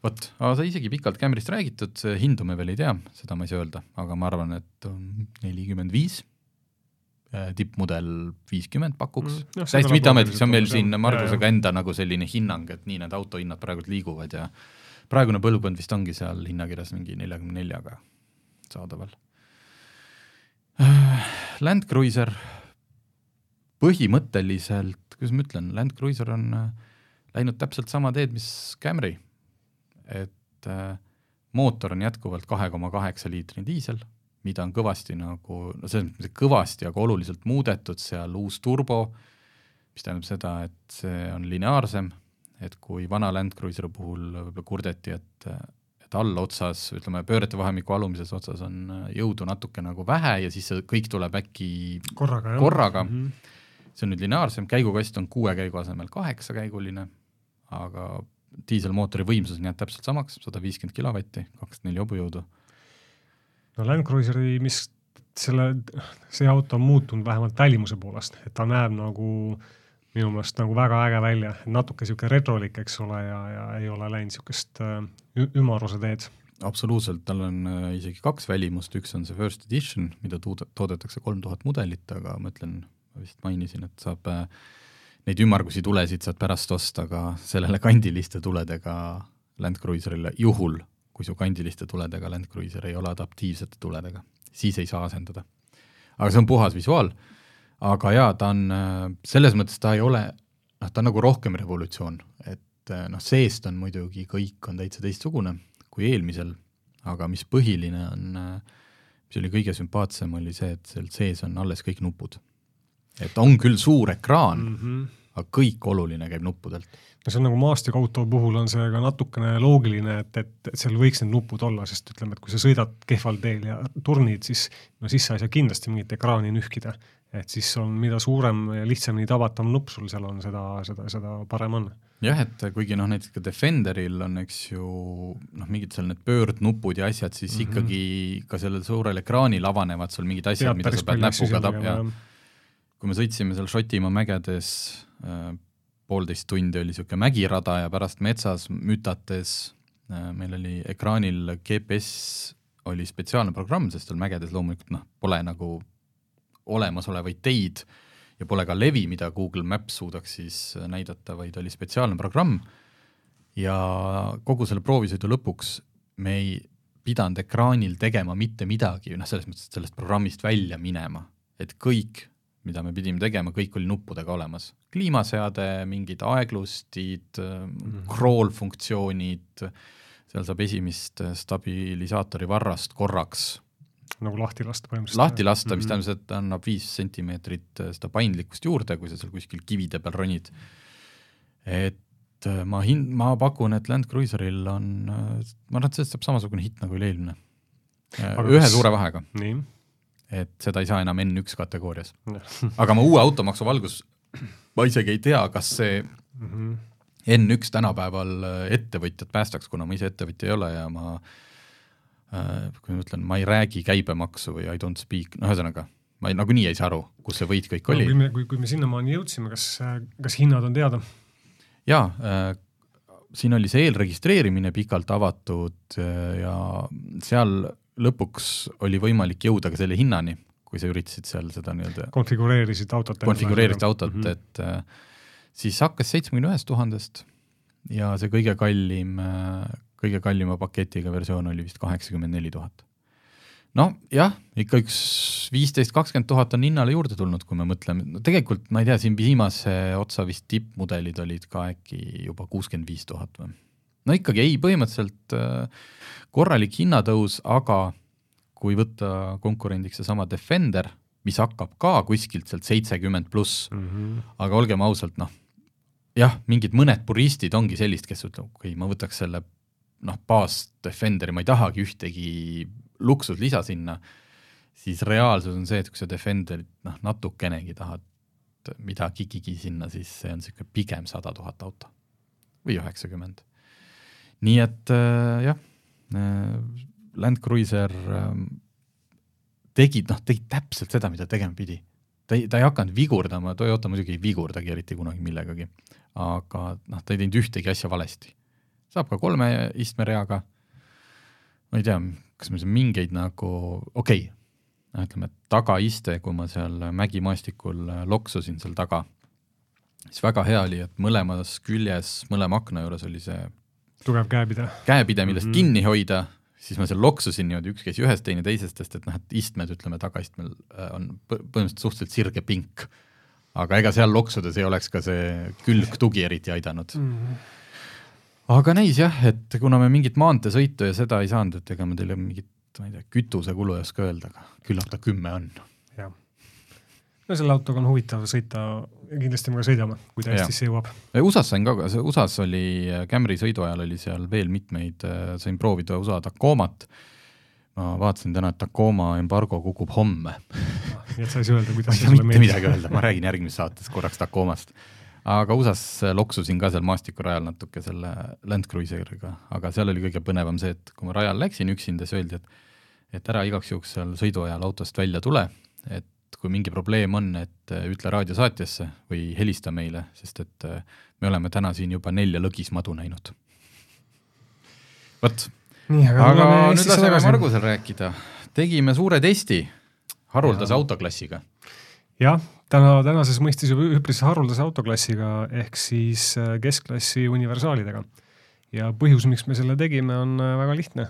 Vot, aga sa isegi pikalt Camryst räägitud, hindu me veel ei tea, seda ma ei saa öelda, aga ma arvan, et 45, tippmudel 50 pakuks. Täiesti mitte ametlik, see on meil siin Margusega enda nagu selline hinnang, et nii need autohinnad praegult liiguvad ja praegune põlvkond vist ongi seal hinnakirjas mingi 44-ga saadaval. Land Cruiser põhimõtteliselt, kuidas ma ütlen, Land Cruiser on läinud täpselt sama teed, mis Camry. Et mootor on jätkuvalt 2,8 liitri diisel, mida on kõvasti nagu, kõvasti, aga oluliselt muudetud, seal uus turbo, mis tähendab seda, et see on lineaarsem, et kui vana Land Cruiseri puhul võib-olla kurdeti, et allotsas, ütleme pöörete vahemiku alumises otsas on jõudu natuke nagu vähe ja siis see kõik tuleb äkki korraga. See on nüüd lineaarsem, käigukast on 6 käigu asemel 8 käiguline, aga diiselmootori võimsus jääb täpselt samaks, 150 kilovatti, 24 hobujõudu. No Land Cruiseri, mis see auto on muutunud vähemalt välimuse poolest, et ta näeb nagu minu meelest nagu väga äge välja, natuke siuke retrolik, eks ole, ja ei ole läinud siukest ümaruse teed. Absoluutselt, tal on isegi 2 välimust, üks on see First Edition, mida toodetakse 3000 mudelit, aga ma ütlen, ma vist mainisin, et saab neid ümargusi tulesid saad pärast osta ka sellele kandiliste tuledega Land Cruiserile, juhul, kui su kandiliste tuledega Land Cruiser ei ole adaptiivsete tuledega, siis ei saa asendada. Aga see on puhas visuaal. Aga jaa, ta on, selles mõttes ta ei ole, ta on nagu rohkem revolutsioon, et seest on muidugi kõik on täitsa teistsugune kui eelmisel, aga mis põhiline on, mis oli kõige sümpaatsem, oli see, et seal sees on alles kõik nupud. Et on küll suur ekraan, aga kõik oluline käib nuppudelt. No see on nagu maastikauto puhul on see ka natukene loogiline, et seal võiks need nupud olla, sest ütleme, et kui sa sõidad kehval teel ja turnid, siis sa ei saa kindlasti mingit ekraani nühkida. Et siis on mida suurem ja lihtsamini tabatav nupp sul seal on, seda parem on. Jah, et kuigi näiteks ka Defenderil on, eks ju, mingid seal need pöördnupud ja asjad, siis ikkagi ka sellel suurel ekraanil avanevad sul mingid asjad, mida sa pead näpuga tapja. Kui me sõitsime seal Šotimaa mägedes, 1,5 tundi oli siuke mägirada ja pärast metsas mütates meil oli ekraanil GPS oli spetsiaalne programm, sest seal mägedes loomulikult pole nagu olemasolevaid teid ja pole ka levi, mida Google Maps suudaks siis näidata, vaid oli spetsiaalne programm ja kogu selle proovisõidu lõpuks me ei pidanud ekraanil tegema mitte midagi, selles mõttes, et sellest programmist välja minema, et kõik, mida me pidime tegema, kõik oli nuppudega olemas. Kliimaseade, mingid aeglustid, crawl-funktsioonid, seal saab esimest stabilisaatori varrast korraks nagu lahti lasta põhimõtteliselt. Lahti lasta, mis tähendab, et annab 5 sentimeetrit seda paindlikkust juurde, kui sa seal kuskil kivide peal ronid. Et ma pakun, et Land Cruiseril on, ma arvan, et sellest saab samasugune hitt nagu eelmine. Ühe suure vahega. Nii. Et seda ei saa enam N1 kategoorias. Aga ma uue automaksu valgus, ma isegi ei tea, kas see N1 tänapäeval ettevõtjad päästaks, kuna ma ise ettevõtja ei ole ja kui ma ütlen, ma ei räägi käibemaksu või I don't speak, ühesõnaga, ma nagunii ei saa aru, kus see võit kõik oli. Kui me sinnamaani jõudsime, kas hinnad on teada? Jaa, siin oli see eelregistreerimine pikalt avatud ja seal lõpuks oli võimalik jõuda ka selle hinnani, kui sa üritasid seal seda nii-öelda konfigureerisid autot, et siis hakkas 71 000 ja see kõige kallima paketiga versioon oli vist 84 000. No jah, ikka üks 15-20 000 on hinnale juurde tulnud, kui me mõtleme. Tegelikult, ma ei tea, siin viimase otsa vist tippmudelid olid ka äkki juba 65 000 või. No ikkagi ei, põhimõtteliselt korralik hinnatõus, aga kui võtta konkurendiks see sama Defender, mis hakkab ka kuskilt sealt 70 pluss, aga olgem ausalt, jah, mingid mõned puristid ongi sellist, kes ütleb, kui ma võtaks selle baas Defenderi, ma ei tahagi ühtegi luksuslisa sinna, siis reaalsus on see, et kui sa Defenderit natukenegi tahad midagigi sinna, siis see on siuke pigem 100 000 auto või 90. Nii et jah, Land Cruiser tegi täpselt seda, mida tegema pidi. Ta ei hakanud vigurdama, Toyota muidugi ei vigurdagi eriti kunagi millegagi, aga ta ei teinud ühtegi asja valesti. Saab ka 3 istmereaga, ma ei tea, kas me mingeid nagu, ütleme, tagaiste, kui ma seal mägimaastikul loksusin seal taga, siis väga hea oli, et mõlemas küljes, mõlema akna juures oli see tugev käepide, millest kinni hoida, siis ma seal loksusin niimoodi, üks käis ühest, teine teisest, et istmed, ütleme, tagaistmel on põhimõtteliselt suhteliselt sirge pink. Aga ega seal loksudes ei oleks ka see külgtugi eriti aidanud. Aga näis jah, et kuna me mingit maanteesõitu ja seda ei saanud, et ega me teile mingit, ma ei tea, kütuse kulu ei oska öelda, aga küllap ta 10 on. Jah. No selle autoga on huvitav sõita ja kindlasti me ka sõidame, kui ta Eestisse jõuab. USAs sain ka, USAs oli Camry sõidu ajal oli seal veel mitmeid, sain proovida USA Tacomat. Ma vaatasin täna, et Tacoma embargo kukub homme. Nii et sa ei öelda, kuidas see sulle meeldis. Midagi öelda, ma räägin järgmises saates korraks Tacomast. Aga USAs loksusin ka seal maastikurajal natuke selle Land Cruiseriga, aga seal oli kõige põnevam see, et kui ma rajal läksin üksinda, siis öeldi, et ära igaks juhuks seal sõidu ajal autost välja tule, et kui mingi probleem on, et ütle raadiosaatjasse või helista meile, sest et me oleme täna siin juba 4 lõgismadu näinud. Võt. Nii, aga nüüd laseme Margusel rääkida. Tegime suure testi haruldase autoklassiga. Jah, tänases mõistis juba üpris haruldase autoklassiga ehk siis keskklassi universaalidega. Ja põhjus, miks me selle tegime, on väga lihtne.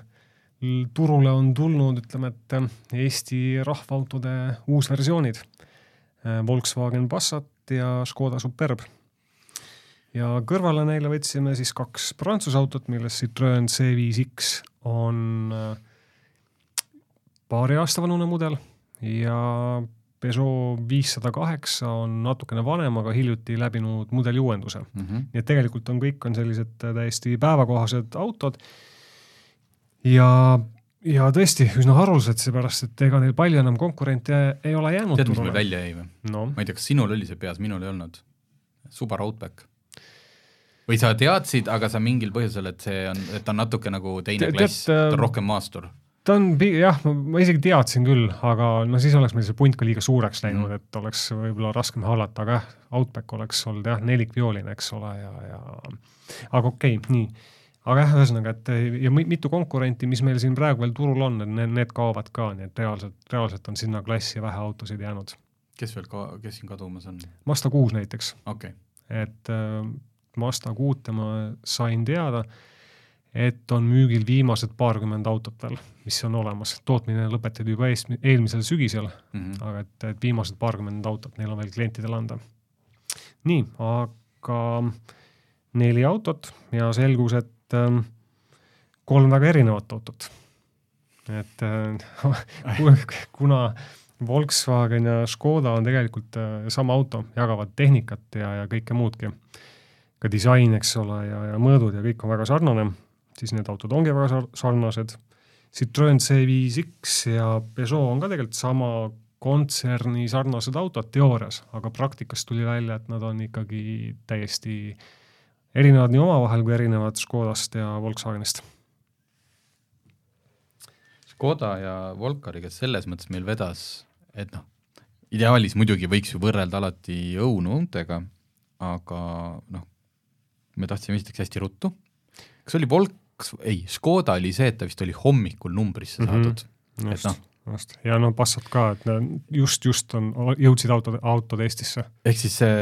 Turule on tulnud, ütleme, et Eesti rahvaautode uusversioonid. Volkswagen Passat ja Škoda Superb. Ja kõrvale neile võtsime siis 2 Prantsuse autot, milles Citroën C5X on paari aasta vanune mudel ja Peugeot 508 on natukene vanem, aga hiljuti läbinud mudeliuuenduse. Nii et tegelikult kõik on sellised täiesti päevakohased autod ja tõesti üsna haruldased, seepärast, et ega neil palju enam konkurente ei ole jäänud. Tead, mis meil välja jäi või? No. Ma ei tea, kas sinul oli see peas, minul ei olnud. Subaru Outback. Või sa teadsid, aga sa mingil põhjusel, et ta on natuke nagu teine klass, ta on rohkem maastur. Ta on, jah, ma isegi teadsin küll, aga no siis oleks meil see punt ka liiga suureks läinud, et oleks võib-olla raskem hallata, aga Outback oleks olnud jah, 4-violine, eks ole, aga okei, nii. Aga jah, ühesõnaga, et ja mitu konkurenti, mis meil siin praegu veel turul on, need kaovad ka, nii et reaalselt on sinna klassi vähe autosid jäänud. Kes siin kadumas on? Mazda 6 näiteks. Okay. Et Mazda 6 ma sain teada, et on müügil viimased 20 autot veel, mis on olemas. Tootmine lõpetati juba eelmisel sügisel, aga et viimased 20 autot neil on veel klientidele anda. Nii, aga 4 autot ja selgus, et 3 väga erinevat autot. Et kuna Volkswagen ja Škoda on tegelikult sama auto, jagavad tehnikat ja kõike muudki. Ka disain, eks ole, ja mõõdud ja kõik on väga sarnane, siis need autod ongi väga sarnased. Citroën C5X ja Peugeot on ka tegelikult sama kontserni sarnased autod teoorias, aga praktikas tuli välja, et nad on ikkagi täiesti erinevad nii omavahel kui erinevad Škodast ja Volkswagenist. Škoda ja Volkariga selles mõttes meil vedas, et ideaalis muidugi võiks ju võrrelda alati õunuuntega, aga me tahtsime esiteks hästi ruttu. Kas oli Škoda oli see, et ta vist oli hommikul numbrisse saadud. Just. Ja Passat ka, et just jõudsid autod Eestisse. Ehk siis see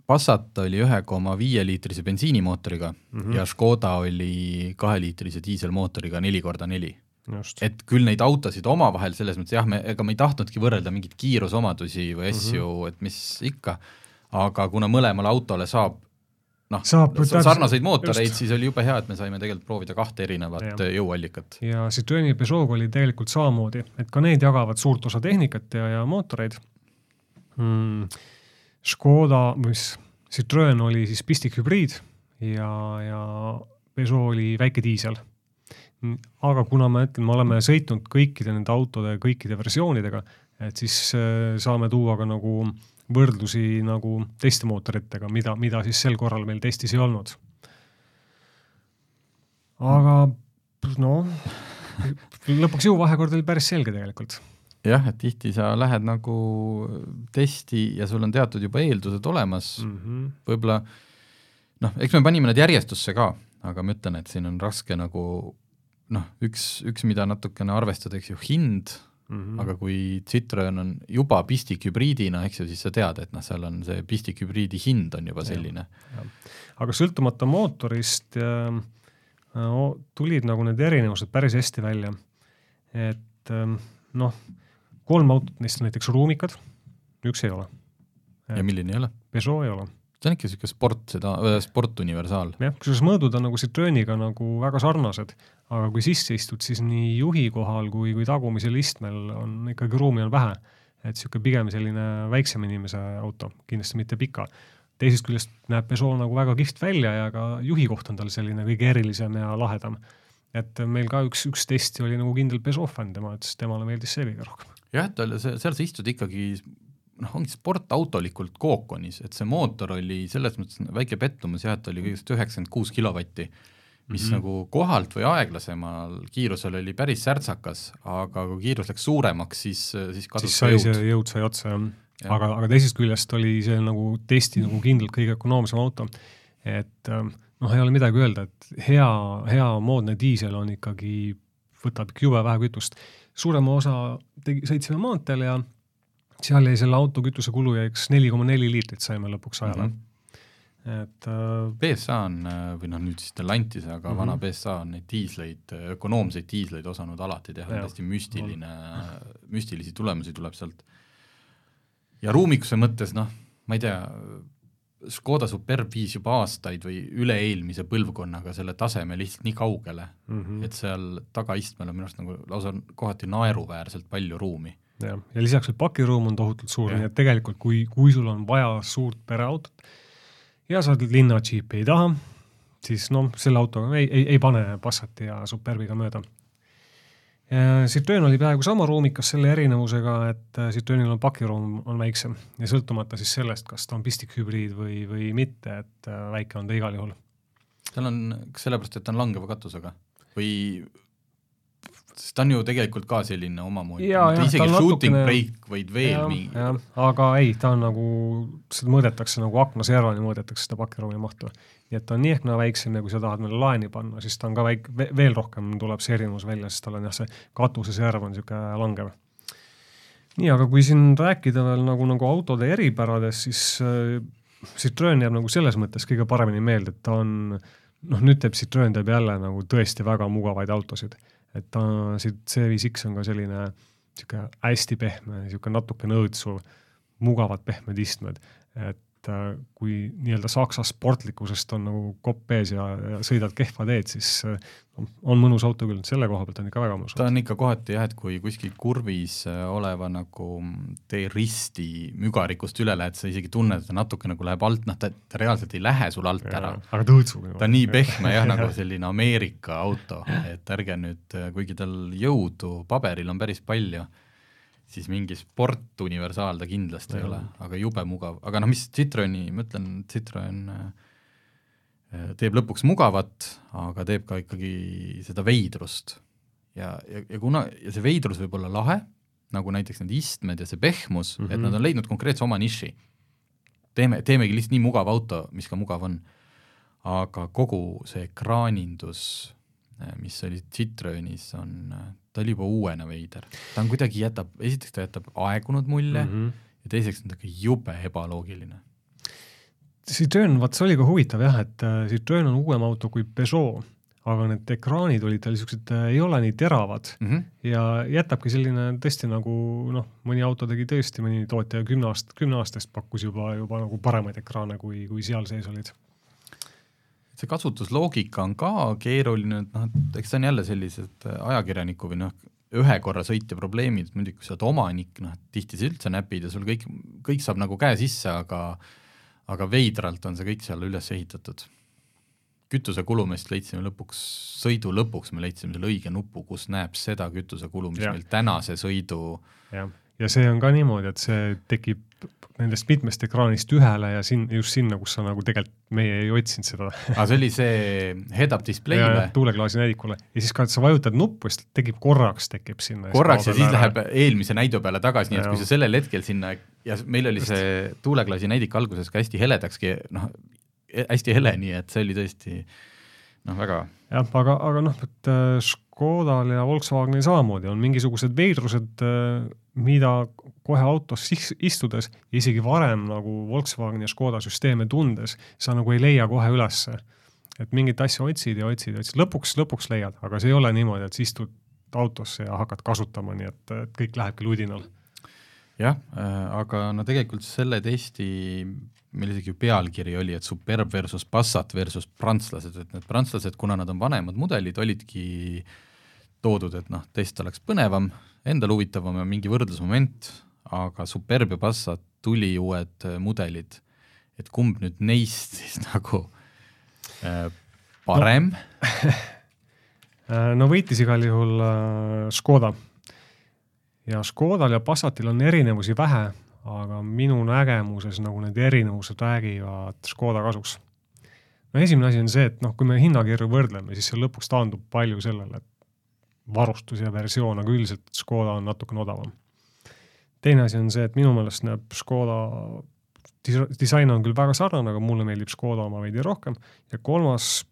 Passat oli 1,5 liitrise bensiinimootoriga ja Škoda oli 2-liitrise diiselmootoriga 4x4. Just. Et küll neid autosid omavahel selles mõttes, jah, ega me ei tahtnudki võrrelda mingit kiirusomadusi või asju, et mis ikka, aga kuna mõlemale autole saab sarnaseid mootoreid, siis oli jube hea, et me saime tegelikult proovida 2 erinevat jõuallikat. Ja Citroën ja Peugeot oli tegelikult samamoodi, et ka need jagavad suurt osa tehnikat ja mootoreid. Škoda, Citroën oli siis pistikhübriid ja Peugeot oli väike diisel. Aga kuna me oleme sõitnud kõikide nende autode, kõikide versioonidega, et siis saame tuua ka nagu võrdlusi nagu teiste mootoritega, mida siis sel korral meil testis ei olnud. Aga lõpuks jõuvahekord oli päris selge tegelikult. Jah, et tihti sa lähed nagu testi ja sul on teatud juba eeldused olemas. Võib-olla, eks me panime need järjestusse ka, aga ma ütlen, et siin on raske nagu üks mida natukene arvestada, eks ju, hind, aga kui Citroën on juba pistikhübriidina, eks ju, siis sa tead, et seal on see pistikhübriidi hind on juba selline. Aga sõltumata mootorist tulid nagu need erinevused päris hästi välja. Et 3 autot neist on näiteks ruumikad, 1 ei ole. Ja milline ei ole? Peugeot ei ole. See on ikka selline sportuniversaal. Jah, kusjuures mõõdud on nagu Citroëniga nagu väga sarnased, aga kui sisse istud, siis nii juhi kohal kui tagumisel istmel on ikkagi ruumi on vähe. et siuke pigem selline väiksem inimese auto, kindlasti mitte pika. Teisest küljest näeb Peugeot nagu väga kihvt välja ja ka juhi koht on tal selline kõige erilisem ja lahedam. Et meil ka üks testi oli nagu kindel Peugeot fänn, tema ütles, temale meeldis see kõige rohkem. Jah, seal sa istud ikkagi ongi sportautolikult kookonis, et see mootor oli selles mõttes väike pettumus, et oli kõigest 96 kilovatti, mis nagu kohalt või aeglasemal kiirusel oli päris särtsakas, aga kui kiirus läks suuremaks, siis kadus ka jõud sai otsa. Aga teisest küljest oli see nagu testi nagu kindlalt kõige ökonoomsem auto. Et ei ole midagi öelda, et hea moodne diisel on ikkagi, võtab jube vähe kütust. Suurema osa sõitsime maanteel ja seal jäi selle auto kütuse kulu jäiks 4,4 liitrit saime lõpuks ajale. Et PSA on, või nüüd siis Stellantis, aga vana PSA on neid diisleid, ökonoomseid diisleid osanud alati teha, hästi müstilisi tulemusi tuleb sealt. Ja ruumikuse mõttes, ma ei tea, Škoda Superb viis juba aastaid või üle-eelmise põlvkonnaga selle taseme lihtsalt nii kaugele, et seal tagaistmel on minu arust nagu lausa kohati naeruväärselt palju ruumi. Ja lisaks veel pakiruum on tohutult suur, nii et tegelikult kui sul on vaja suurt pereautot ja sa linna džiipi ei taha, siis selle autoga ei pane Passati ja Superbiga mööda. Citroen oli peaaegu sama ruumikas selle erinevusega, et Citroenil on pakiruum on väiksem ja sõltumata siis sellest, kas ta on pistikhübriid või mitte, et väike on ta igal juhul. Tal on sellepärast, et ta on langeva katusega või sest ta on ju tegelikult ka selline omamoodi, isegi shooting break võid veel mingi. Aga ei, ta on nagu, seda mõõdetakse nagu aknaservani mõõdetakse seda pakiruumi mahtu. Nii et ta on nii ehk väiksem ja kui sa tahad meile laeni panna, siis ta on ka veel rohkem tuleb see erinevus välja, sest tal on see katuse serv on siuke langev. Nii, aga kui siin rääkida veel nagu autode eripärades, siis Citroen jääb nagu selles mõttes kõige paremini meelde, et ta on, nüüd Citroen teeb jälle nagu tõesti väga mugavaid autosid. Et C5X on ka selline hästi pehme, natuke nõõtsuv, mugavad pehmed istmed. Et kui nii-öelda Saksa sportlikkusest on nagu kopp ees ja sõidad kehva teed, siis on mõnus auto küll, selle koha pealt on ikka väga mõnus. Ta on ikka kohati et kui kuskil kurvis oleva nagu tee risti mügarikust üle lähed, sa isegi tunned, et ta natuke nagu läheb alt, ta reaalselt ei lähe sul alt ära. Aga tõõtsub. Ta on nii pehme nagu selline Ameerika auto, et ärge nüüd, kuigi tal jõudu paberil on päris palju, siis mingi sportuniversaal ta kindlasti ei ole, aga jube mugav. Aga mis Citroeni, ma ütlen, Citroen teeb lõpuks mugavat, aga teeb ka ikkagi seda veidrust. Ja see veidrus võib olla lahe, nagu näiteks need istmed ja see pehmus, et nad on leidnud konkreetse oma niši. Teemegi lihtsalt nii mugav auto, mis ka mugav on. Aga kogu see ekraanindus, mis oli Citroenis, ta oli juba uuena veider. Ta on kuidagi esiteks ta jätab aegunud mulje ja teiseks on ta jube ebaloogiline. Citroen, see oli ka huvitav et Citroen on uuem auto kui Peugeot, aga need ekraanid olid tal niisugused, ei ole nii teravad ja jätabki selline tõesti nagu, mõni auto tegi tõesti, mõni tootja 10 aastast pakkus juba nagu paremaid ekraane, kui seal sees olid. See kasutusloogika on ka keeruline, et eks see on jälle sellised ajakirjaniku või ühe korra sõitja probleemid, muidugi kui sa oled omanik, tihti sa üldse näpid ja sul kõik saab nagu käe sisse, aga veidralt on see kõik seal üles ehitatud. Kütuse kulumist leidsime sõidu lõpuks me leidsime selle õige nupu, kus näeb seda kütuse kulu, mis meil tänase sõidu. Ja see on ka niimoodi, et see tekib nendest mitmest ekraanist ühele ja just sinna, kus sa nagu tegelikult meie ei otsinud seda. Aga see oli see head-up display'le? Tuuleklaasi näidikule. Ja siis ka, et sa vajutad nuppu, siis tekib sinna. Korraks ja siis läheb eelmise näidu peale tagasi, nii et kui sa sellel hetkel sinna, ja meil oli see tuuleklaasi näidik alguses ka hästi heledakski, hästi hele, nii et see oli tõesti väga... Jah, aga et Škodal ja Volkswagenil samamoodi on mingisugused veidrused, mida kohe autos istudes, isegi varem nagu Volkswagen ja Škoda süsteeme tundes, sa nagu ei leia kohe ülesse. Et mingit asja otsid ja otsid. Lõpuks leiad, aga see ei ole niimoodi, et sa istud autosse ja hakkad kasutama, nii et kõik lähebki ludinal. Jah, aga tegelikult selle testi meil isegi pealkiri oli, et Superb versus Passat versus prantslased, et need prantslased, kuna nad on vanemad mudelid, olidki toodud, et test oleks põnevam, endal huvitavam ja mingi võrdlusmoment, aga Superb ja Passat tuli uued mudelid, et kumb nüüd neist siis nagu parem? No võitis igal juhul Škoda. Ja Škodal ja Passatil on erinevusi vähe, aga minu nägemuses nagu need erinevused räägivad Škoda kasuks. No esimene asi on see, et kui me hinnakirju võrdleme, siis see lõpuks taandub palju sellele, et varustus ja versioon, aga üldiselt Škoda on natukene odavam. Teine asi on see, et minu meelest näeb Škoda disain on küll väga sarnane, aga mulle meeldib Škoda oma veidi rohkem. Ja kolmas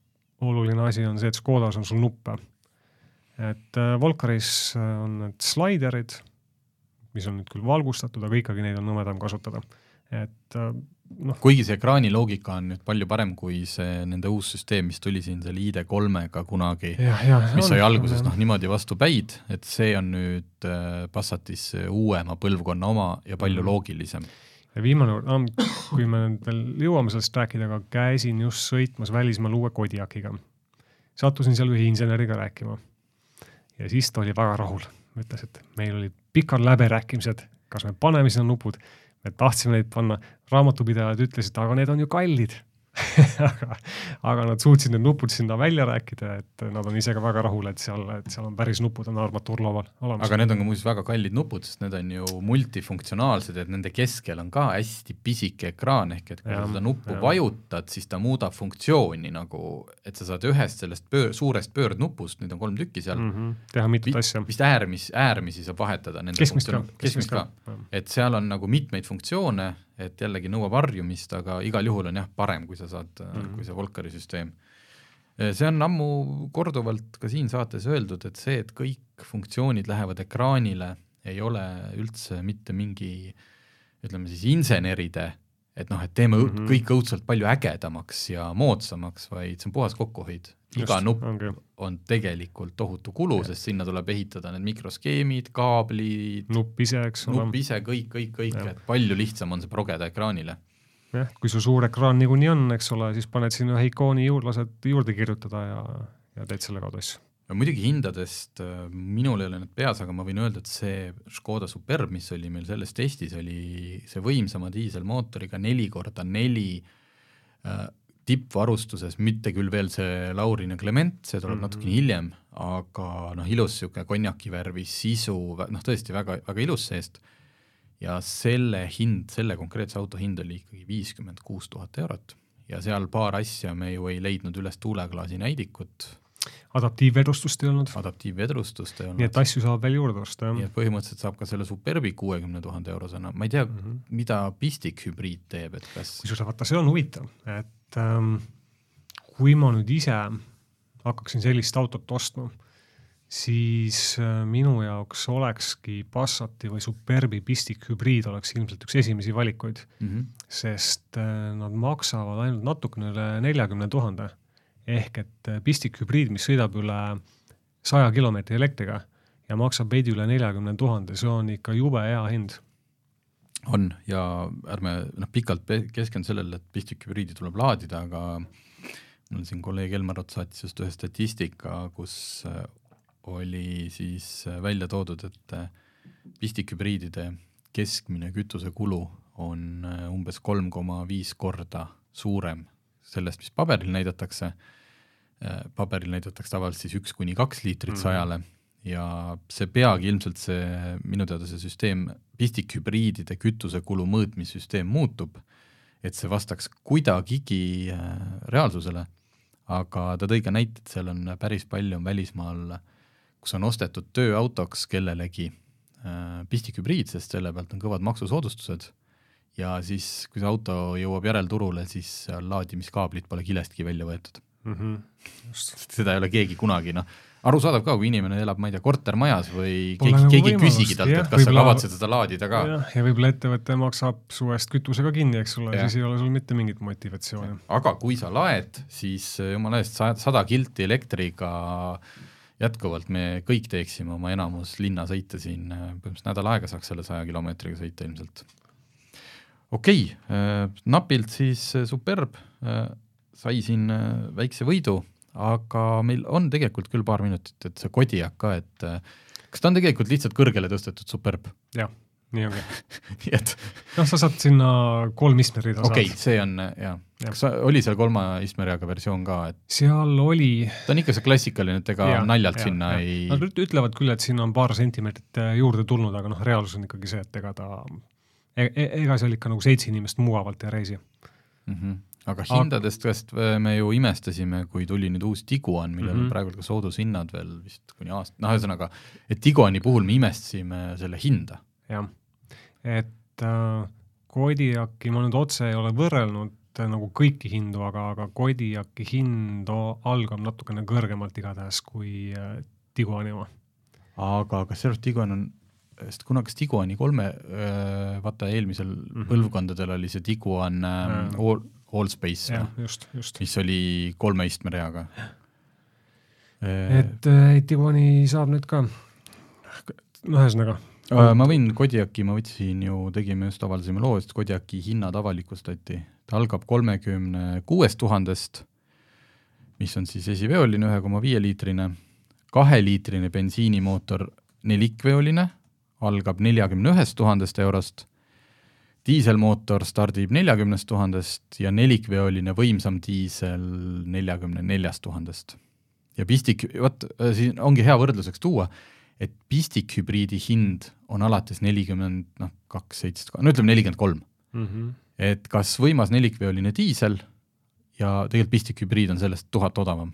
oluline asi on see, et Škodas on sul nuppe. Et Volkaris on need sliderid, mis on nüüd küll valgustatud, aga ikkagi neid on nõmedam kasutada. Et kuigi see ekraani loogika on nüüd palju parem kui see nende uus süsteem, mis tuli siin selle ID3-ga kunagi, mis sai alguses niimoodi vastu päid, et see on nüüd Passatis uuema põlvkonna oma ja palju loogilisem. Ja viimane, kui me veel jõuame sellest rääkida, aga käisin just sõitmas välismaal uue Kodiakiga. Sattusin seal ühe inseneriga rääkima. Ja siis ta oli väga rahul. Ütles, et meil oli pikad läberääkimised, kas me paneme sinna nupud. Me tahtsime neid panna. Raamatupidajad ütlesid, aga need on ju kallid. aga nad suutsid need nupud sinna välja rääkida, et nad on ise ka väga rahul, et seal on päris nupud on armatuurlaual olemas. Aga need on ka muuseas väga kallid nupud, sest need on ju multifunktsionaalsed, et nende keskel on ka hästi pisike ekraan, ehk et kui seda nuppu vajutad, siis ta muudab funktsiooni nagu, et sa saad ühest sellest suurest pöördnupust, neid on 3 tükki seal, teha mitut asja. Vist äärmisi saab vahetada. Keskmist ka. Et seal on nagu mitmeid funktsioone, et jällegi nõuab varjumist, aga igal juhul on parem, kui sa saad, kui see Volkari süsteem. See on ammu korduvalt ka siin saates öeldud, et see, et kõik funktsioonid lähevad ekraanile, ei ole üldse mitte mingi, ütleme siis inseneride, et teeme kõik õudselt palju ägedamaks ja moodsamaks, vaid see on puhas kokkuhoid. Iga nupp on tegelikult tohutu kulu, sest sinna tuleb ehitada need mikroskeemid, kaablid, nupp ise, kõik, et palju lihtsam on see progeda ekraanile. Ja, kui su suur ekraan niikuinii on, eks ole, siis paned sinna ühe ikooni lased juurde kirjutada ja teed selle kaudu asju. Ja muidugi hindadest minul ei ole need peas, aga ma võin öelda, et see Škoda Superb, mis oli meil selles testis, oli see võimsama diiselmootoriga 4x4 tippvarustuses, mitte küll veel see Laurin ja Clement, see tuleb natukene hiljem, aga ilus siuke konjakivärvi sisu, tõesti väga, väga ilus seest. Ja selle konkreetse auto hind oli ikkagi 56 000 eurot. Ja seal paar asja me ju ei leidnud üles tuuleklaasi näidikut. Adaptiivvedrustust ei olnud. Nii et asju saab veel juurde osta. Nii et põhimõtteliselt saab ka selle Superbi 60 000 eurosena. Ma ei tea, mida Pistik hübriid teeb. Et kas... Kui vaata, see on huvitav, et kui ma nüüd ise hakkaksin sellist autot ostma, siis minu jaoks olekski Passati või Superbi Pistik hübriid oleks ilmselt üks esimesi valikuid, sest nad maksavad ainult natukene üle 40 000, ehk et Pistik hübriid, mis sõidab üle 100 kilomeetri elektriga ja maksab veidi üle 40 000, see on ikka jube hea hind. On, ja ärme pikalt keskendu sellele, et Pistik hübriidi tuleb laadida, aga mul siin kolleeg Elmarot saatis just ühe statistika, kus oli siis välja toodud, et Pistik hübriidide keskmine kütuse kulu on umbes 3,5 korda suurem sellest, mis paberil näidatakse. Paberil näidatakse tavaliselt siis 1-2 liitrit 100-le ja see peagi ilmselt minu teada see süsteem, Pistik hübriidide kütuse kulu mõõtmissüsteem muutub, et see vastaks kuidagigi reaalsusele, aga ta tõi ka näited, seal on päris palju välismaal, kus on ostetud tööautoks kellelegi Pistik hübriid, sest selle pealt on kõvad maksusoodustused ja siis, kui see auto jõuab järelturule, siis laadimiskaablid pole kilestki välja võetud. Seda ei ole keegi kunagi, aru saadav ka, kui inimene elab, ma ei tea, kortermajas või keegi küsigi talt, et kas sa kavatsed seda laadida ka. Ja võib-olla ettevõte maksab suvest kütusega kinni, eks sulle, siis ei ole sul mitte mingit motivatsiooni. Aga kui sa laed, siis jumala eest 100 kilti elektriga jätkuvalt me kõik teeksime oma enamus linna sõita siin, põhimõtteliselt nädal aega saaks selle 100 kilomeetriga sõita ilmselt. Okei, napilt siis Superb sai siin väikse võidu, aga meil on tegelikult küll paar minutit, et see Kodiak ka, et kas ta on tegelikult lihtsalt kõrgele tõstetud Superb? Jah, nii ongi. nii et sa saad sinna 3 istmerida okei, see on, jah. Kas oli seal 3 istmeriaga versioon ka? Et seal oli. Ta on ikka see klassikaline, et ega naljalt sinna ei... Nad ütlevad küll, et siin on paar sentimeetrit juurde tulnud, aga reaalsus on ikkagi see, et ega seal ikka nagu 7 inimest mugavalt ei reisi. Aga hindadest me ju imestasime, kui tuli nüüd uus Tiguan, millel praegu ka soodushinnad veel vist kuni aasta. Ühesõnaga, et Tiguani puhul me imestasime selle hinda. Jah, et Kodiaki ma nüüd otse ei ole võrrelnud nagu kõiki hindu, aga Kodiaki hind algab natukene kõrgemalt igatahes kui Tiguani oma. Aga kas sellest Tiguan on, sest kunagi Tiguani 3, vaata eelmisel põlvkondadel oli see Tiguan Allspace, just. mis oli 3 istmereaga. Et Tiguani saab nüüd ka, ühesõnaga. Ma võin Kodiaki, ma võtsin ju, tegime just avaldasime loo, et Kodiaki hinnad avalikustati. Ta algab 36 000, mis on siis esiveoline 1,5 liitrine, 2 liitrine bensiinimootor 4-veoline, algab 41 000 eurost, diiselmootor stardib 40 000 ja 4-veoline võimsam diisel 44 000. Ja pistik, siin ongi hea võrdluseks tuua, et pistikhübriidi hind on alates 42, 7, no ütleme 43. Et kas võimas 4-veoline diisel ja tegelikult pistikhübriid on sellest 1000 odavam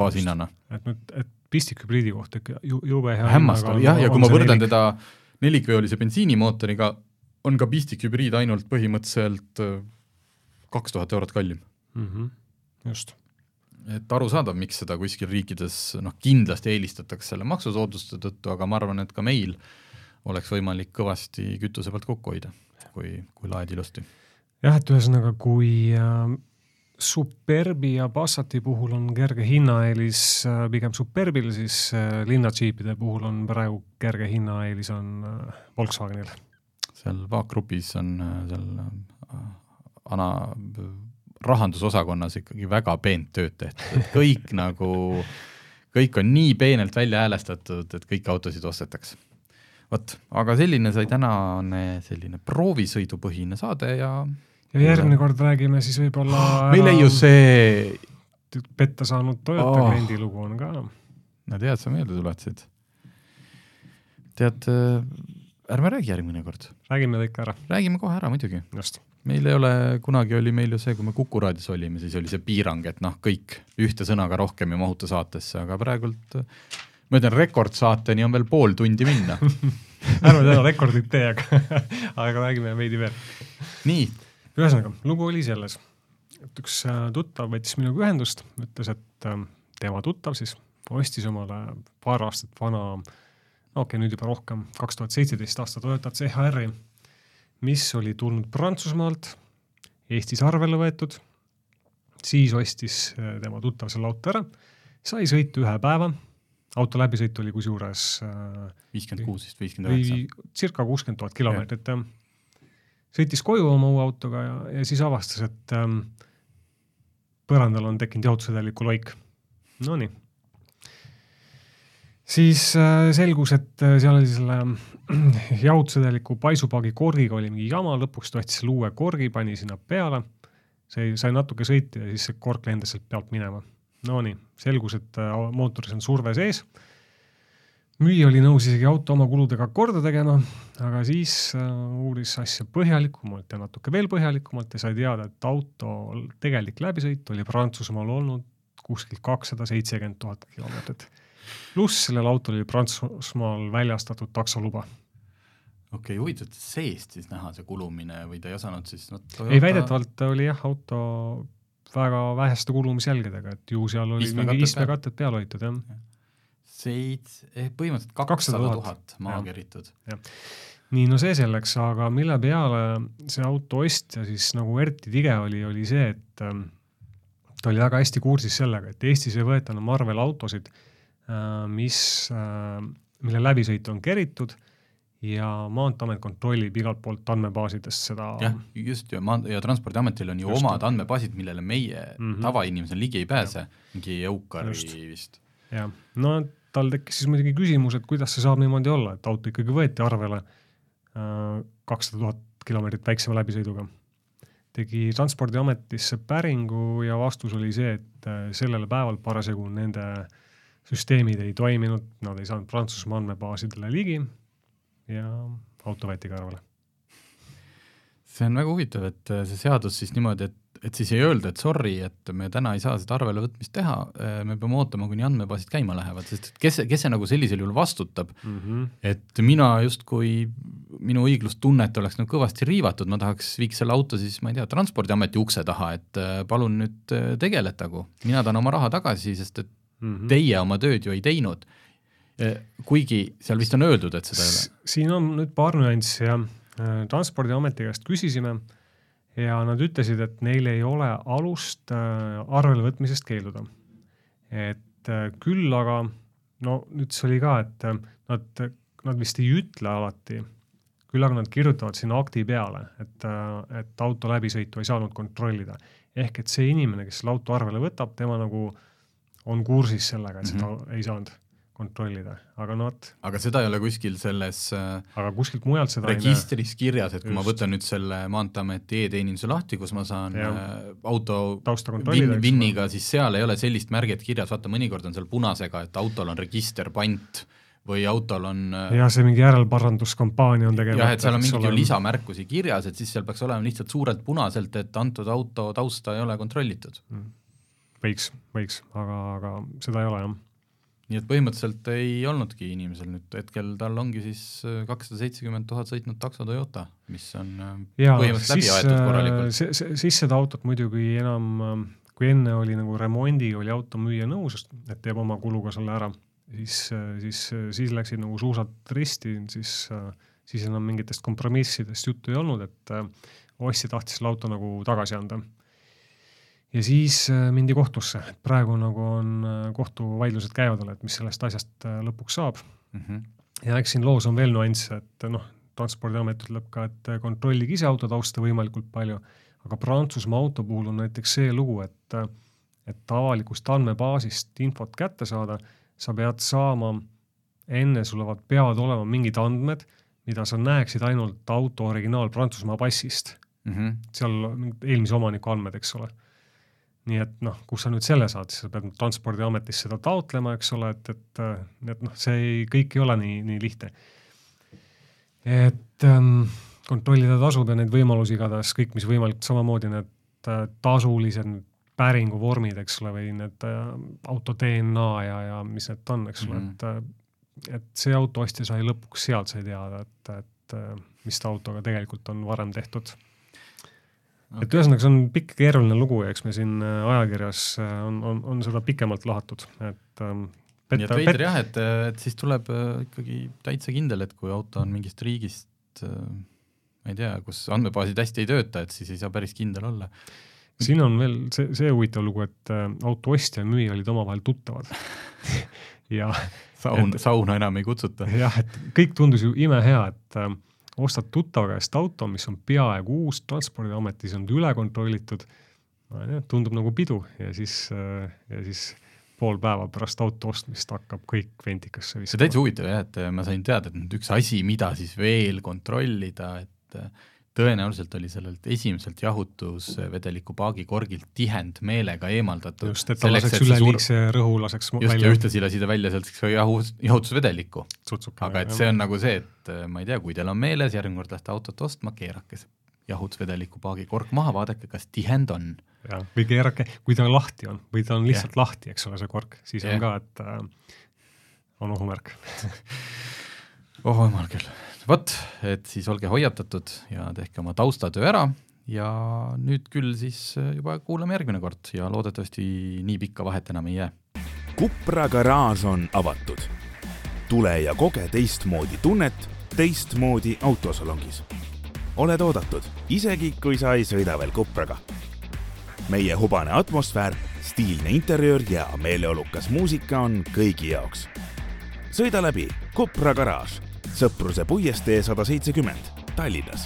baashinnana. Et pistikhübriidi kohta jube hea hämmastav, ja kui ma võrdan teda 4-veolise bensiinimootoriga, on ka pistikhübriid ainult põhimõtteliselt 2000 eurot kallim. Just. Et aru saada, miks seda kuskil riikides kindlasti eelistatakse selle maksusooduste tõttu, aga ma arvan, et ka meil oleks võimalik kõvasti kütuse pealt kokku hoida, kui laed ilusti. Jah, et ühesõnaga, kui Superbi ja Passati puhul on kerge hinnaeelis pigem Superbil, siis linnadžiipide puhul on praegu kerge hinnaeelis on Volkswagenil. Seal Vaak-grupis on seal rahandusosakonnas ikkagi väga peent tööd tehtud. Kõik on nii peenelt välja häälestatud, et kõik autosid ostetaks. Aga selline sai tänane selline proovisõidupõhine saade ja järgmine kord räägime siis võib-olla meil ei ju see petta saanud Toyota kliendi lugu on ka. No tead, sa meelde tuletasid. Tead, ärme räägi järgmine kord. Räägime kõik ära. Räägime kohe ära muidugi. Just. Meil ei ole, kunagi oli meil ju see, kui me Kuku raadios olime, siis oli see piirang, et kõik ühte sõnaga rohkem ja mahuta saatesse, aga praegult, ma ütlen, rekordsaateni on veel pool tundi minna. Ärme täna rekordit tee, aga räägime veidi veel. Nii. Ühesõnaga, lugu oli selles, et üks tuttav võttis minuga ühendust, ütles, et tema tuttav siis ostis omale paar aastat vana, nüüd juba rohkem, 2017 aasta Toyota CHR-i, mis oli tulnud Prantsusmaalt, Eestis arvele võetud, siis ostis tema tuttav selle auto ära, sai sõitu 1 päeva, auto läbisõit oli kusjuures 56-59. Circa 60 000 kilomeetrit. Sõitis koju oma uue autoga ja siis avastas, et põrandal on tekkinud jahutusvedeliku loik. No nii. Siis selgus, et seal oli selle jahutusvedeliku paisupaagi korgiga oli mingi jama, lõpuks tohtis selle uue korgi, pani sinna peale, see sai natuke sõiti ja siis see kork lendas sealt pealt minema. No nii, selgus, et mootoris on surve sees. Müüja oli nõus isegi auto oma kuludega korda tegema, aga siis uuris asja põhjalikumalt ja natuke veel põhjalikumalt ja sai teada, et auto tegelik läbisõit oli Prantsusmaal olnud kuskil 270 000 kilomeetrit. Pluss sellel autol oli Prantsusmaal väljastatud taksoluba. Okei, huvitav, seest siis näha see kulumine või ta ei osanud siis... Ei, väidetavalt oli auto väga väheste kulumisjälgedega, et ju seal oli mingi istmekatted peal hoitud. Põhimõtteliselt 200 000 maakeritud. Nii, no see selleks, aga mille peale see auto ostja siis nagu erti tige oli see, et ta oli väga hästi kursis sellega, et Eestis ei võeta Marvel autosid, mille läbisõit on keritud ja Maanteamet kontrollib igalt poolt andmebaasidest seda... Jah, just ja Transpordiametil on ju omad andmebaasid, millele meie tavainimesel ligi ei pääse, mingi Eukari vist. Ja, no tal tekkis siis muidugi küsimus, et kuidas see saab niimoodi olla, et auto ikkagi võeti arvele 200 000 kilomeetrit väiksema läbisõiduga. Tegi Transpordiametisse päringu ja vastus oli see, et sellel päeval parasjagu nende süsteemid ei toiminud, nad ei saanud Prantsusmaa andmebaasidele ligi ja auto võeti kõrvale. See on väga huvitav, et see seadus siis niimoodi, et siis ei öelda, et sorry, et me täna ei saa seda arvele võtmist teha, me peame ootama, kuni andmebaasid käima lähevad, sest kes see nagu sellisel juhul vastutab, et mina justkui minu õiglustunnet oleks nagu kõvasti riivatud, ma viiks selle auto siis, ma ei tea, Transpordiameti ukse taha, et palun nüüd tegeletagu. Mina tahan oma raha tagasi, sest et teie oma tööd ju ei teinud. Kuigi seal vist on öeldud, et seda ei ole. Siin on nüüd paar nüanssi ja Transpordiameti käest küsisime ja nad ütlesid, et neil ei ole alust arvele võtmisest keelduda. Et küll aga, no nüüd see oli ka, et nad vist ei ütle alati, küll aga nad kirjutavad sinna akti peale, et auto läbisõitu ei saanud kontrollida. Ehk et see inimene, kes selle auto arvele võtab, tema nagu on kursis sellega, et seda ei saanud kontrollida, aga seda ei ole kuskil selles aga kuskilt mujalt seda registris kirjas, et kui ma võtan nüüd selle Maanteeameti e-teeninduse lahti, kus ma saan auto vinniga, siis seal ei ole sellist märget kirjas, vaata mõnikord on seal punasega, et autol on register pant või autol on ja see mingi järelparanduskampaania on tegema. Jah, et seal on mingi lisamärkusi kirjas, et siis seal peaks olema lihtsalt suurelt punaselt, et antud auto tausta ei ole kontrollitud. Võiks, aga seda ei ole jah. Nii et põhimõtteliselt ei olnudki inimesel nüüd hetkel, tal ongi siis 270 000 sõitnud takso Toyota, mis on põhimõtteliselt läbi aetud korralikult. Siis seda autot muidugi enam, kui enne oli nagu remondi, oli auto müüa nõus, et teeb oma kuluga selle ära, siis läksid nagu suusad risti, siis enam mingitest kompromissidest juttu ei olnud, et ostja tahtis selle auto nagu tagasi anda. Ja siis mindi kohtusse, et praegu nagu on kohtuvaidlused käivadele, et mis sellest asjast lõpuks saab. Ja eks siin loos on veel nüanss, et Transpordiamet ütleb ka, et kontrollige ise auto tausta võimalikult palju, aga Prantsusmaa auto puhul on näiteks see lugu, et avalikust andmebaasist infot kätte saada, sa pead saama, enne sul peavad olema mingid andmed, mida sa näeksid ainult auto originaal Prantsusmaa passist. Seal eelmise omaniku andmed, eks ole. Nii et kus sa nüüd selle saad, siis sa pead Transpordiametis seda taotlema, eks ole, et see kõik ei ole nii lihtne. Et kontrollida tasub ja neid võimalusi igatahes kõik, mis võimalik, samamoodi need tasulised päringu vormid, eks ole, või need auto DNA ja mis need on, eks ole, et see autoostja sai lõpuks sealt sai teada, et mis ta autoga tegelikult on varem tehtud. Et ühesõnaga, see on pikk keeruline lugu ja eks me siin ajakirjas on seda pikemalt lahatud. Nii et veider jah, et siis tuleb ikkagi täitsa kindel, et kui auto on mingist riigist, ma ei tea, kus andmebaasid hästi ei tööta, et siis ei saa päris kindel olla. Siin on veel see huvitav lugu, et auto ostja ja müüja olid omavahel tuttavad. Ja sauna enam ei kutsuta. Jah, et kõik tundus ju imehea, et ostad tuttava käest auto, mis on peaaegu uus, Transpordiametis on üle kontrollitud, tundub nagu pidu ja siis pool päeva pärast auto ostmist hakkab kõik ventikasse viskama. See täitsa huvitav jah, et ma sain teada, et üks asi, mida siis veel kontrollida, et tõenäoliselt oli sellelt esimeselt jahutusvedeliku paagikorgilt tihend meelega eemaldatud. Just, et ta laseks üleliigse rõhu laseks välja. Just, ja ühtlasi lasida välja sealt jahutusvedelikku. Tsutsuka, aga et see on nagu see, et ma ei tea, kui teil on meeles, järgmine kord lähte autot ostma, keerake see jahutusvedeliku paagikork maha, vaadake, kas tihend on. Ja, või keerake, kui ta lahti on, või ta on lihtsalt lahti, eks ole see kork, siis on ka, et on ohumärk. Jumal küll. Võt, et siis olge hoiatatud ja tehke oma taustatöö ära ja nüüd küll siis juba kuulame järgmine kord ja loodetavasti nii pikka vahet enam ei jää. Kupra garaaž on avatud. Tule ja koge teistmoodi tunnet teistmoodi autosalongis. Oled oodatud, isegi kui sa ei sõida veel Kupraga. Meie hubane atmosfäär, stiilne interiöör ja meeleolukas muusika on kõigi jaoks. Sõida läbi Kupra garaaž, Sõpruse puiestee 170 Tallinnas.